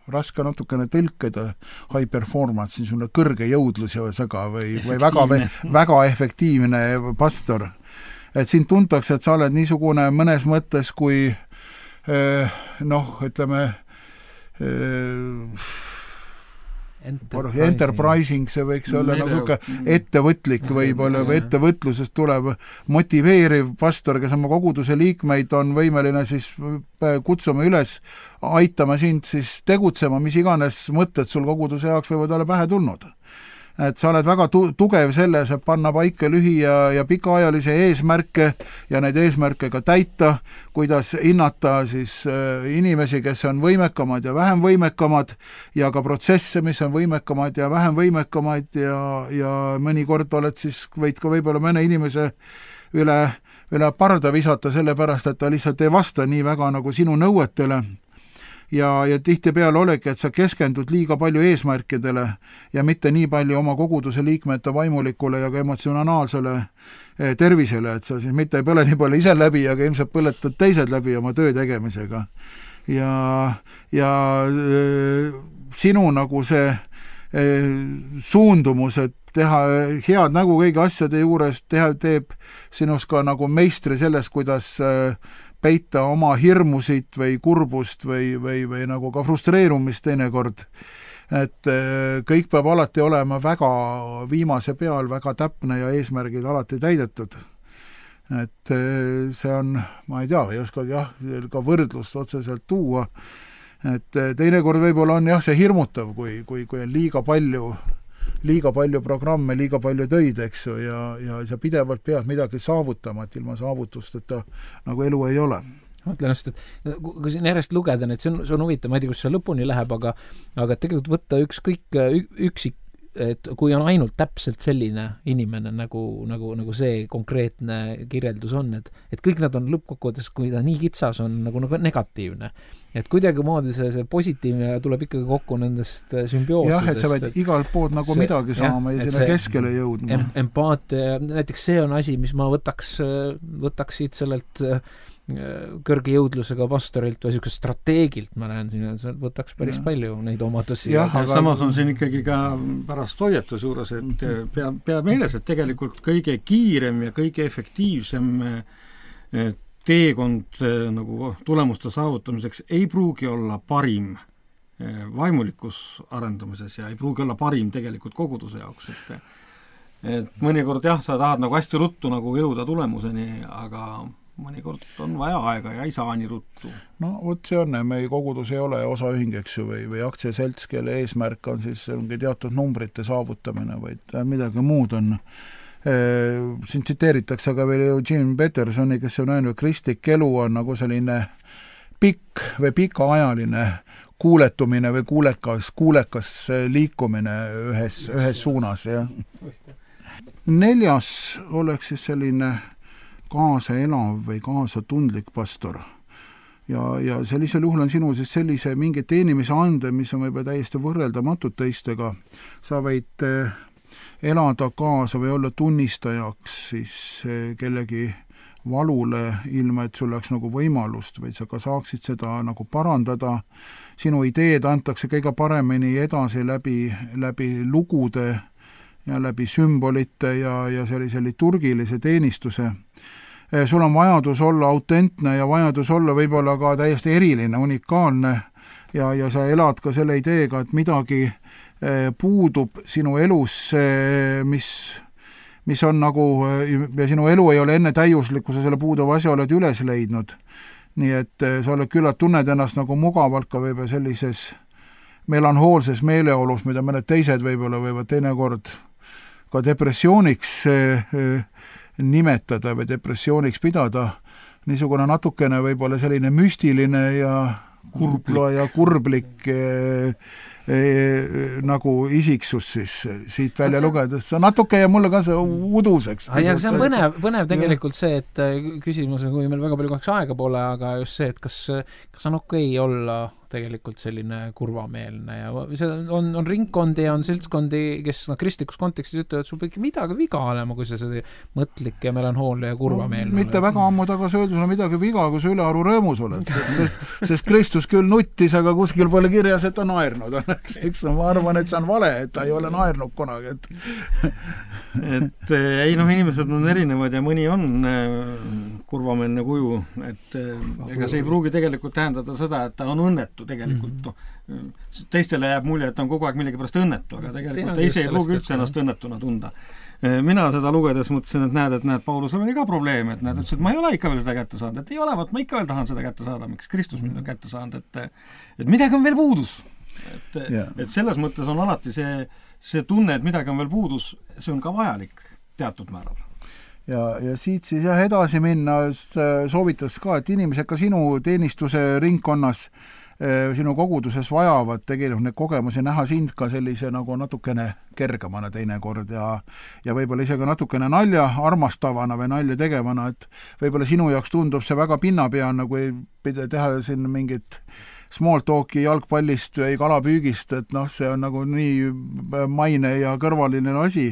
Speaker 3: raske natukene tõlkida high performance, niisugune kõrge jõudlus ja või väga efektiivne pastor. Et siin tuntakse, et sa oled niisugune mõnes mõttes kui ütleme enterprising, see võiks olla nagu ettevõtlik võib-olla või ettevõtlusest tulev motiveeriv pastor, kes oma koguduse liikmeid on võimeline siis kutsuma üles, aitama sind siis tegutsema, mis iganes mõtted sul koguduse jaoks võivad olla pähe tulnud. Et sa oled väga tugev selles, et panna paika lühi- ja pikaajalisi eesmärke ja neid eesmärke ka täita, kuidas hinnata siis inimesi, kes on võimekamad ja vähem võimekamad ja ka protsesse, mis on võimekamad ja vähem võimekamad ja mõnikord võid ka võib-olla mõne inimese üle parda visata sellepärast, et ta lihtsalt ei vasta nii väga nagu sinu nõuetele. Ja tihtipeale olegi, et sa keskendud liiga palju eesmärkidele ja mitte nii palju oma koguduse liikmete vaimulikule ja ka emotsionaalsele tervisele, et sa siis mitte ei põle nii palju ise läbi, aga ilmselt põletad teised läbi oma töö tegemisega. Ja sinu nagu see suundumus, et teha head nägu kõigi asjade juures, teeb sinust ka nagu meistri selles, kuidas peita oma hirmusid või kurbust või nagu ka frustreerumist teinekord. Et kõik peab alati olema väga viimase peal, väga täpne ja eesmärgid alati täidetud. Et see on, ma ei tea, ei oskagi ka võrdlust otseselt tuua. Et teinekord võib-olla on see hirmutav, kui on liiga palju programme, liiga palju töid, eks ju, ja sa pidevalt pead midagi saavutama, et ilma saavutusteta nagu elu ei ole.
Speaker 2: Mõtlen just, et kui siin järjest lugeda, et see on huvitav, ma ei tea, kus see lõpuni läheb, aga tegelikult võtta ükskõik üksik, et kui on ainult täpselt selline inimene, nagu see konkreetne kirjeldus on, et kõik nad on lõppkokkuvõttes, kui ta nii kitsas on nagu negatiivne. Et kuidagi moodi see positiivne tuleb ikkagi kokku nendest sümbioosidest.
Speaker 3: Jah, et sa võid igalt poolt nagu midagi saama ja sinna keskele jõudma.
Speaker 2: Empaatia, näiteks see on asi, mis ma võtaks siit sellelt kõrge jõudlusega pastorilt või niisugust strateegilt, ma näen siin, et võtaks päris palju neid omadusi.
Speaker 4: Aga samas on siin ikkagi ka pärast hoiatus juures, et pea meeles, et tegelikult kõige kiirem ja kõige efektiivsem teekond nagu tulemuste saavutamiseks ei pruugi olla parim vaimulikus arendamises ja ei pruugi olla parim tegelikult koguduse jaoks, et mõnikord jah, sa tahad nagu hästi ruttu nagu jõuda tulemuseni, aga mõnikord on vaja aega ja ei saa nii ruttu.
Speaker 3: No vot see on, meie kogudus ei ole osaühing, eks ju, või aktsiaselts, kelle eesmärk on siis mingi teatud numbrite saavutamine, vaid midagi muud on. Siin tsiteeritakse ka veel Eugene Petersoni, kes on öelnud, kristlik elu on nagu selline pikk või pikaajaline kuuletumine või kuulekas liikumine ühes suunas. Ja. 4. oleks siis selline kaasa elav või kaasa tundlik pastor. Ja sellisel juhul on sinul siis sellise mingi teenimise ande, mis on võib-olla täiesti võrreldamatud teistega. Sa võid elada kaasa või olla tunnistajaks siis kellegi valule, ilma et sul oleks nagu võimalust, vaid sa ka saaksid seda nagu parandada. Sinu ideed antakse kõige paremini edasi läbi lugude ja läbi sümbolite ja sellise liturgilise teenistuse. Sul on vajadus olla autentne ja vajadus olla võib-olla ka täiesti eriline, unikaalne ja sa elad ka selle ideega, et midagi puudub sinu elus, mis on nagu, ja sinu elu ei ole enne täiuslikku, sa selle puuduva asja oled üles leidnud. Nii et sa oled küllalt, tunned ennast nagu mugavalt ka võib-olla sellises melanhoolses meeleolus, mida mõned teised võib-olla võivad teinekord ka depressiooniks nimetada või depressiooniks pidada, niisugune natukene võib-olla selline müstiline ja kurblik nagu isiksus siis siit välja lugedes. See natuke ja mulle ka see uduseks.
Speaker 2: See on põnev tegelikult see, et küsimus on, kui meil väga palju kaheks aega pole, aga just see, et kas on okei olla tegelikult selline kurvameelne ja see on ringkondi ja on seltskondi, kes kristlikus kontekstis ütlevad, et sul peab midagi viga olema, kui sa seda mõtlik ja melanhoolne ja kurvameelne.
Speaker 3: Mitte väga ammu tagasi öeldus on midagi viga, kui sa ülearu rõõmus oled, sest Kristus küll nuttis, aga kuskil pole kirjas, et ta naernud on. Eks ma arvan, et see on vale, et ta ei ole naernud kunagi.
Speaker 4: Et ei inimesed on erinevad ja mõni on kurvameelne kuju, et ega see ei pruugi tegelikult tähendada seda, et ta on õnnetu tegelikult. Teistele jääb mulje, et on kogu aeg millegi õnnetu, aga tegelikult ise ei pruugi üldse ennast õnnetuna tunda. Mina seda lugedes mõtlesin, et näed, Paulusel oli ka probleem, et näed, ütles, et ma ei ole ikka veel seda kätte saanud, et ei ole, ma ikka veel tahan seda kätte saada, miks Kristus mind on kätte saanud, et midagi on veel puudus. Et selles mõttes on alati see tunne, et midagi on veel puudus, see on ka vajalik teatud määral.
Speaker 3: Ja siit siis edasi minna soovitas ka, et inimesed ka sinu teenistuse ringkonnas, sinu koguduses vajavad tegelikult neid kogemusi näha sind ka sellise nagu natukene kergemana teinekord ja võib-olla isegi natukene nalja armastavana või nalja tegevana, et võib-olla sinu jaoks tundub see väga pinnapeana, kui teha siin mingit small talki jalgpallist või kalapüügist, et see on nagu nii maine ja kõrvaline asi.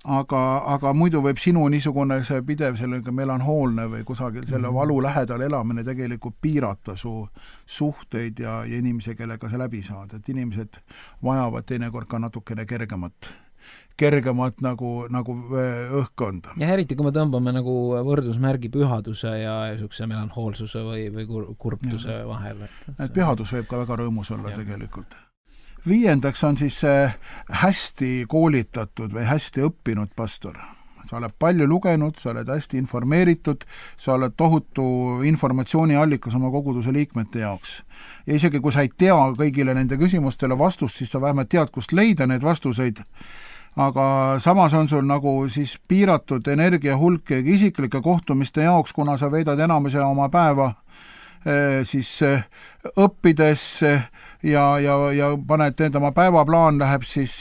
Speaker 3: Aga muidu võib sinu niisugune see pidev sellega melanhoolne või kusagil selle valu lähedal elamine tegelikult piirata su suhteid ja inimesi, kellega sa läbi saad. Et inimesed vajavad teinekord ka natukene kergemat nagu õhkkonda.
Speaker 2: Ja eriti, kui me tõmbame nagu võrdusmärgi pühaduse ja niisuguse melanhoolsuse või kurbtuse vahel.
Speaker 3: Et pühadus võib ka väga rõõmus olla tegelikult. 5. on siis hästi koolitatud või hästi õppinud pastor. Sa oled palju lugenud, sa oled hästi informeeritud, sa oled tohutu informatsiooniallikas oma koguduse liikmete jaoks. Ja isegi kui sa ei tea kõigile nende küsimustele vastust, siis sa vähemalt tead, kust leida need vastuseid. Aga samas on sul nagu siis piiratud energia hulk isiklike kohtumiste jaoks, kuna sa veedad enamuse oma päeva siis õppides ja paned oma päevaplaan läheb siis,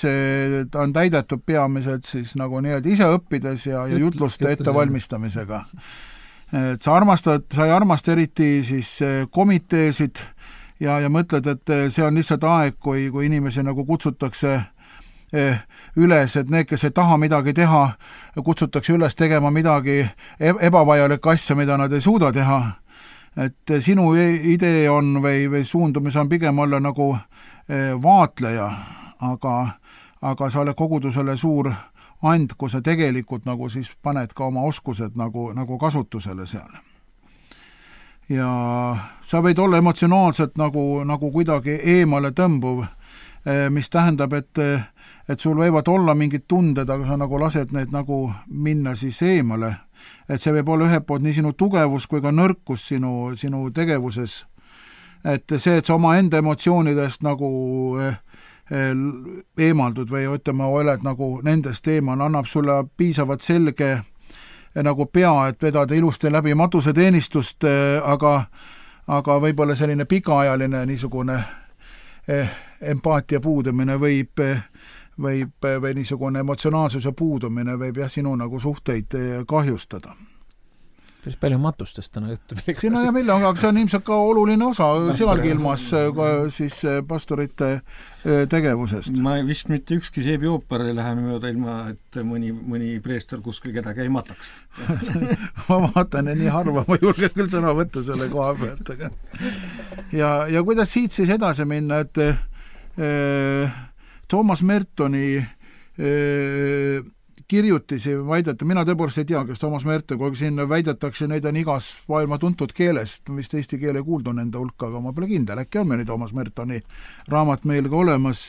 Speaker 3: ta on täidetud peamiselt siis nagu nii-öelda ise õppides ja jutluste ettevalmistamisega. Et sa ei armasta eriti siis komiteesid ja mõtled, et see on lihtsalt aeg, kui inimesi nagu kutsutakse üles, et need, kes ei taha midagi teha, kutsutakse üles tegema midagi ebavajalik asja, mida nad ei suuda teha. et sinu idee on või suundumus on pigem olla nagu vaatleja, aga sa oled kogudusele suur and, kui sa tegelikult nagu siis paned ka oma oskused nagu kasutusele seal. Ja sa võid olla emotsionaalselt nagu kuidagi eemale tõmbuv, mis tähendab, et sul võivad olla mingid tunded, aga sa nagu lased need nagu minna siis eemale. Et see võib olla ühelt poolt nii sinu tugevus kui ka nõrkus sinu tegevuses. Et see, et sa oma enda emotsioonidest nagu eemaldud või ütleme, oled nagu nendest eemal, annab sulle piisavalt selge nagu pea, et vedada ilusti läbi matuseteenistust, aga võib-olla selline pikaajaline niisugune empaatia puudumine või niisugune emotsionaalsuse puudumine võib sinu nagu suhteid kahjustada.
Speaker 2: Päris palju matustest täna juttu.
Speaker 3: Siin on välja, aga see on ilmselt ka oluline osa sealgi ilmas siis pastorite tegevusest.
Speaker 4: Ma vist mitte ükski seebi ooper ei lähe mööda ilma, et mõni preester kuskil kedagi ei mataks.
Speaker 3: Ma vaatan nii harva, ma julge küll sõna võtta selle koha pealt. Ja kuidas siit siis edasi minna, et Toomas Mertoni kirjutisi väidete, mina tõepoolest ei tea, kes Toomas Merton, kui siin väidetakse, neid on igas maailma tuntud keeles, vist eesti keele kuuldu nende hulka, aga ma pole kindel, äkki on meil Toomas Mertoni raamat meil ka olemas.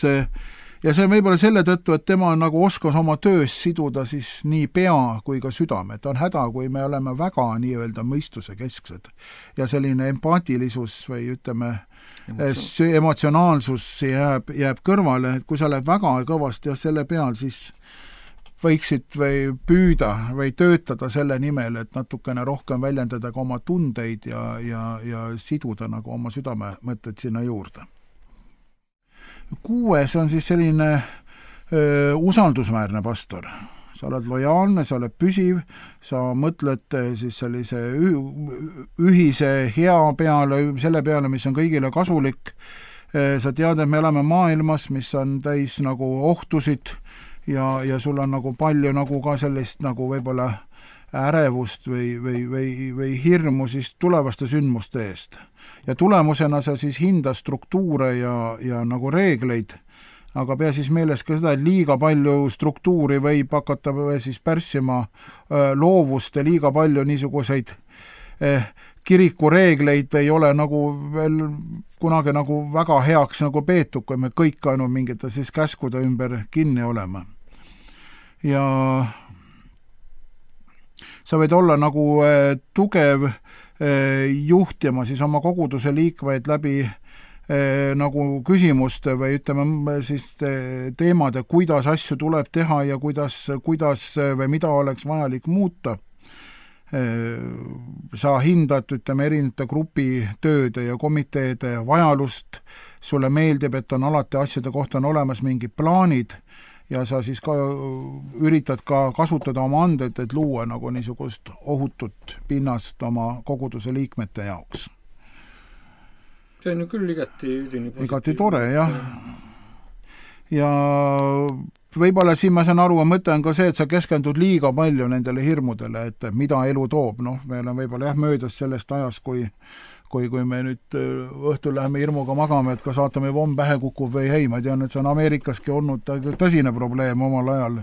Speaker 3: Ja see on võib-olla selle tõttu, et tema nagu oskas oma töös siduda siis nii pea kui ka südame, et on häda, kui me oleme väga nii-öelda mõistuse kesksed ja selline empaatilisus või ütleme, emotsionaalsus jääb kõrvale, et kui sa oled väga kõvasti ja selle peal, siis võiksid või püüda või töötada selle nimel, et natukene rohkem väljendada ka oma tundeid ja siduda nagu oma südamemõtted sinna juurde. 6. on siis selline usaldusväärne pastor. Sa oled lojaalne, sa oled püsiv, sa mõtled siis sellise ühise hea peale, selle peale, mis on kõigile kasulik. Sa tead, et me elame maailmas, mis on täis nagu ohtusid, ja sul on nagu palju nagu ka sellist nagu võib-olla ärevust või hirmu siis tulevaste sündmuste eest. Ja tulemusena sa siis hinda struktuure ja nagu reegleid, aga pea siis meeles ka seda, et liiga palju struktuuri võib hakata siis pärssima loovust ja liiga palju niisuguseid kirikureegleid ei ole nagu veel kunagi nagu väga heaks nagu peetud, kui me kõik ainult mingite siis käskude ümber kinni oleme. Ja sa võid olla nagu tugev juhtima siis oma koguduse liikmeid läbi nagu küsimuste või ütleme siis teemade, kuidas asju tuleb teha ja kuidas või mida oleks vajalik muuta. Sa hindad, ütleme, erinevate grupi tööde ja komiteede vajalust, sulle meeldib, et on alati asjade kohta on olemas mingid plaanid ja sa siis ka üritad ka kasutada oma anded, et luua nagu niisugust ohutut pinnast oma koguduse liikmete jaoks.
Speaker 4: See on ju küll
Speaker 3: igati tore, jah. Ja võib-olla siin ma saan aru, mõte on ka see, et sa keskendud liiga palju nendele hirmudele, et mida elu toob. Meil on võib-olla möödas sellest ajas, kui me nüüd õhtul läheme hirmuga magame, et kas saatame pomm pähe kukub või ei. Ma tean, et see on Ameerikaski olnud tõsine probleem omal ajal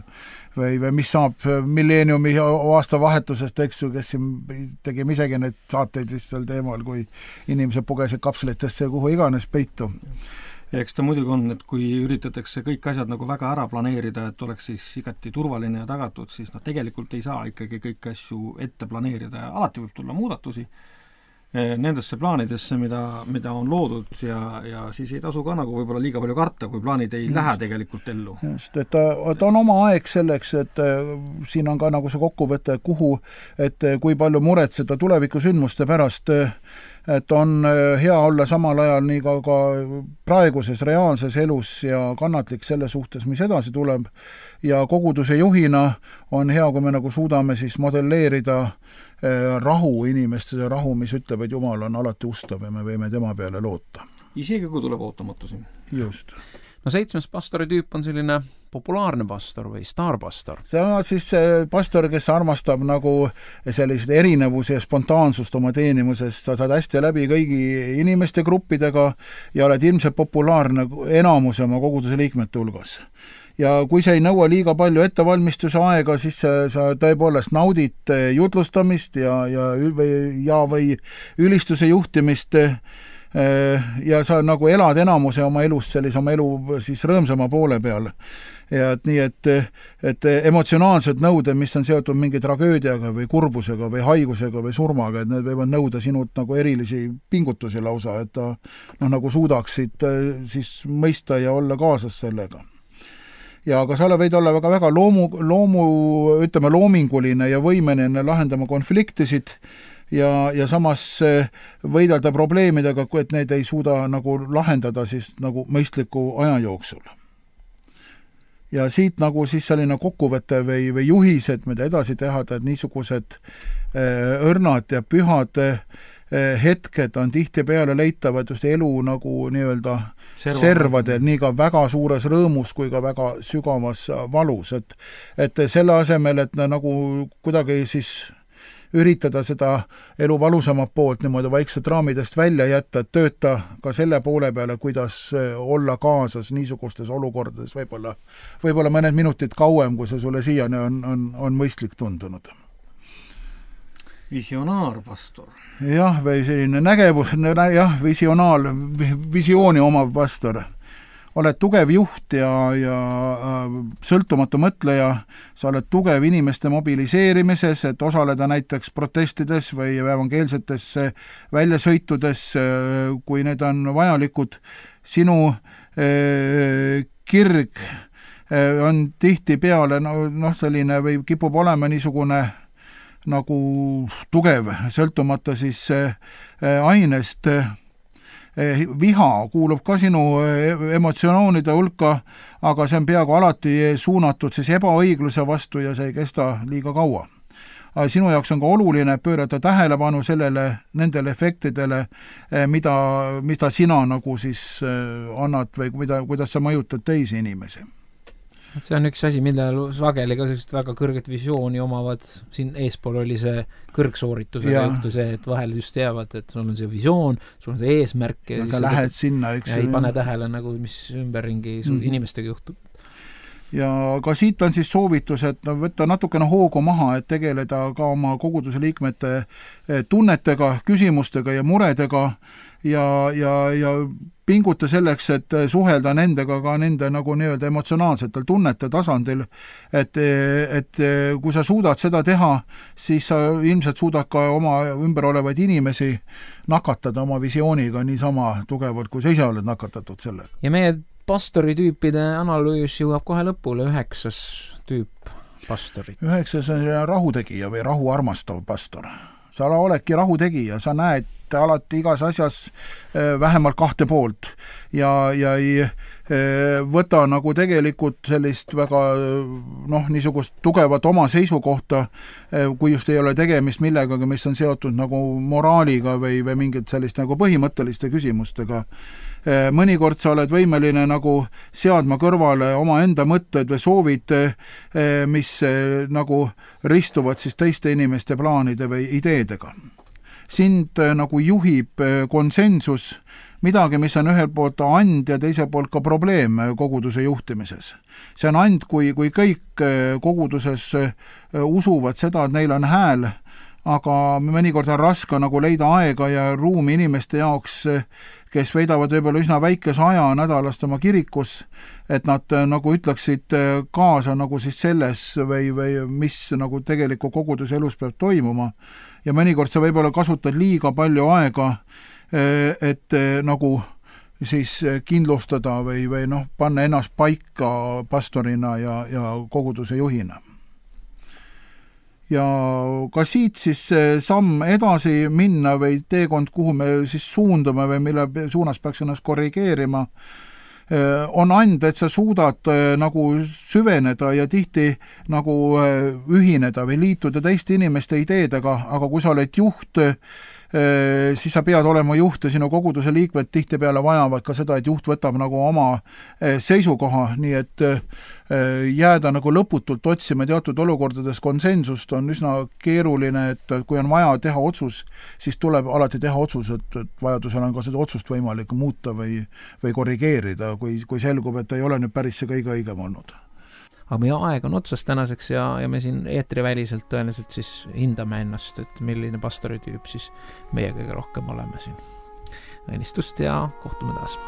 Speaker 3: või mis saab milleeniumi aastavahetusest, eks ju, kes tegime isegi need saateid vist sel teemal, kui inimesed pugesid kapslitesse kuhu iganes peitu.
Speaker 4: Ja eks ta muidugi on, et kui üritatakse kõik asjad nagu väga ära planeerida, et oleks siis igati turvaline ja tagatud, siis tegelikult ei saa ikkagi kõik asju ette planeerida ja alati võib tulla muudatusi nendesse plaanidesse, mida on loodud ja siis ei tasu ka nagu võib-olla liiga palju karta, kui plaanid ei lähe tegelikult ellu.
Speaker 3: Just, et on oma aeg selleks, et siin on ka nagu see kokkuvõte, et kui palju muretseda tulevikusündmuste pärast, et on hea olla samal ajal nii ka praeguses reaalses elus ja kannatlik selle suhtes, mis edasi tuleb. Ja koguduse juhina on hea, kui me nagu suudame siis modelleerida rahu inimeste rahu, mis ütleb, et Jumal on alati ustav ja me võime tema peale loota.
Speaker 4: Isegi kui tuleb ootamatusi.
Speaker 3: Just.
Speaker 2: No 7. pastori tüüp on selline populaarne pastor või staarpastor?
Speaker 3: See on siis pastor, kes armastab nagu sellised erinevuse ja spontaansust oma teenimusest. Sa saad hästi läbi kõigi inimeste gruppidega ja oled ilmselt populaarne enamuse oma koguduse liikmete hulgas. Ja kui see ei nõua liiga palju ettevalmistuse aega, siis sa tõepoolest naudid jutlustamist või ülistuse juhtimist ja sa nagu elad enamuse oma elust oma elu siis rõõmsama poole peal. Ja nii, et emotsionaalsed nõuded, mis on seotud mingi tragöödiaga või kurbusega või haigusega või surmaga, et need võivad nõuda sinult nagu erilisi pingutusi lausa, et ta nagu suudaksid siis mõista ja olla kaasas sellega. Ja aga sa võid olla väga loominguline ja võimeline lahendama konfliktisid ja samas võidelda probleemidega, et need ei suuda nagu lahendada siis nagu mõistliku aja jooksul. Ja siit nagu siis selline kokkuvõte või juhised, mida edasi teha, et niisugused õrnad ja pühad hetked on tihtipeale leitavad just elu nagu nii-öelda servadel, nii ka väga suures rõõmus kui ka väga sügavas valus, et selle asemel, et nagu kuidagi siis üritada seda elu valusamat poolt niimoodi vaikselt raamidest välja jätta, et tööta ka selle poole peale, kuidas olla kaasas niisugustes olukordades võib-olla mõned minutid kauem, kui see sulle siiani on mõistlik tundunud.
Speaker 4: Visionaarpastor.
Speaker 3: Jah, või selline nägevus, visiooni omav pastor. Oled tugev juht ja sõltumatu mõtleja, sa oled tugev inimeste mobiliseerimises, et osaleda näiteks protestides või evangeelsetes väljasõitudes, kui need on vajalikud. Sinu kirg on tihtipeale selline või kipub olema niisugune nagu tugev, sõltumata siis ainest. Viha kuulub ka sinu emotsioonide hulka, aga see on peaaegu alati suunatud siis ebaõigluse vastu ja see ei kesta liiga kaua. Aga sinu jaoks on ka oluline pöörata tähelepanu nendele efektidele, mida sina nagu siis annad või kuidas sa mõjutad teisi inimesi.
Speaker 2: See on üks asi, millel sageli ka väga kõrget visiooni omavad. Siin eespool oli see kõrgsoorituse juhtu see, et vahel just teavad, et sul on see visioon, sul on see eesmärk
Speaker 3: ja sa lähed sinna, eks.
Speaker 2: Ja ei pane tähele, nagu, mis ümberringi inimestega juhtub.
Speaker 3: Ja ka siit on siis soovitus, et võtta natukene hoogu maha, et tegeleda ka oma koguduse liikmete tunnetega, küsimustega ja muredega ja pinguta selleks, et suhelda nendega ka nende nagu nii-öelda emotsionaalsetel tunnete tasandil, et kui sa suudad seda teha, siis sa ilmselt suudad ka oma ümber olevaid inimesi nakatada oma visiooniga niisama tugevalt, kui sa ise oled nakatatud sellega.
Speaker 2: Ja meie pastoritüüpide analüüs jõuab kohe lõpule, 9. tüüp pastorit.
Speaker 3: 9. on rahutegija või rahu armastav pastor. Sa oledki rahutegija, sa näed alati igas asjas vähemalt 2 poolt ja ei võta nagu tegelikult sellist väga niisugust tugevat oma seisukohta, kui just ei ole tegemist millegagi, mis on seotud nagu moraaliga või mingit sellist nagu põhimõtteliste küsimustega. Mõnikord sa oled võimeline nagu seadma kõrvale oma enda mõtted või soovid, mis nagu ristuvad siis teiste inimeste plaanide või ideedega. Sind nagu juhib konsensus, midagi, mis on ühel poolt and ja teisel poolt ka probleem koguduse juhtimises. See on and, kui kõik koguduses usuvad seda, et neil on hääl, aga mõnikord on raske nagu leida aega ja ruumi inimeste jaoks, kes veedavad võib-olla üsna väikese aja nädalast oma kirikus, et nad nagu ütleksid kaasa nagu siis selles või mis nagu tegeliku koguduse elus peab toimuma. Ja mõnikord sa võib-olla kasutad liiga palju aega, et nagu siis kindlustada või panna ennast paika pastorina ja koguduse juhina. Ja ka siit siis samm edasi minna või teekond, kuhu me siis suundume või mille suunas peaks ennast korrigeerima, on and, et sa suudad nagu süveneda ja tihti nagu ühineda või liituda teiste inimeste ideedega, aga kui sa oled juht, siis sa pead olema juht ja sinu koguduse liikmed tihtipeale vajavad ka seda, et juht võtab nagu oma seisukoha, nii et jääda nagu lõputult otsima teatud olukordades konsensust on üsna keeruline, et kui on vaja teha otsus, siis tuleb alati teha otsus, et vajadusel on ka seda otsust võimalik muuta või korrigeerida, kui selgub, et ei ole nüüd päris see kõige õigem olnud.
Speaker 2: Aga meie aeg on otsas tänaseks ja me siin eetriväliselt tõenäoliselt siis hindame ennast, et milline pastoritüüp siis meie kõige rohkem oleme siin. Õnnistust ja kohtume taas!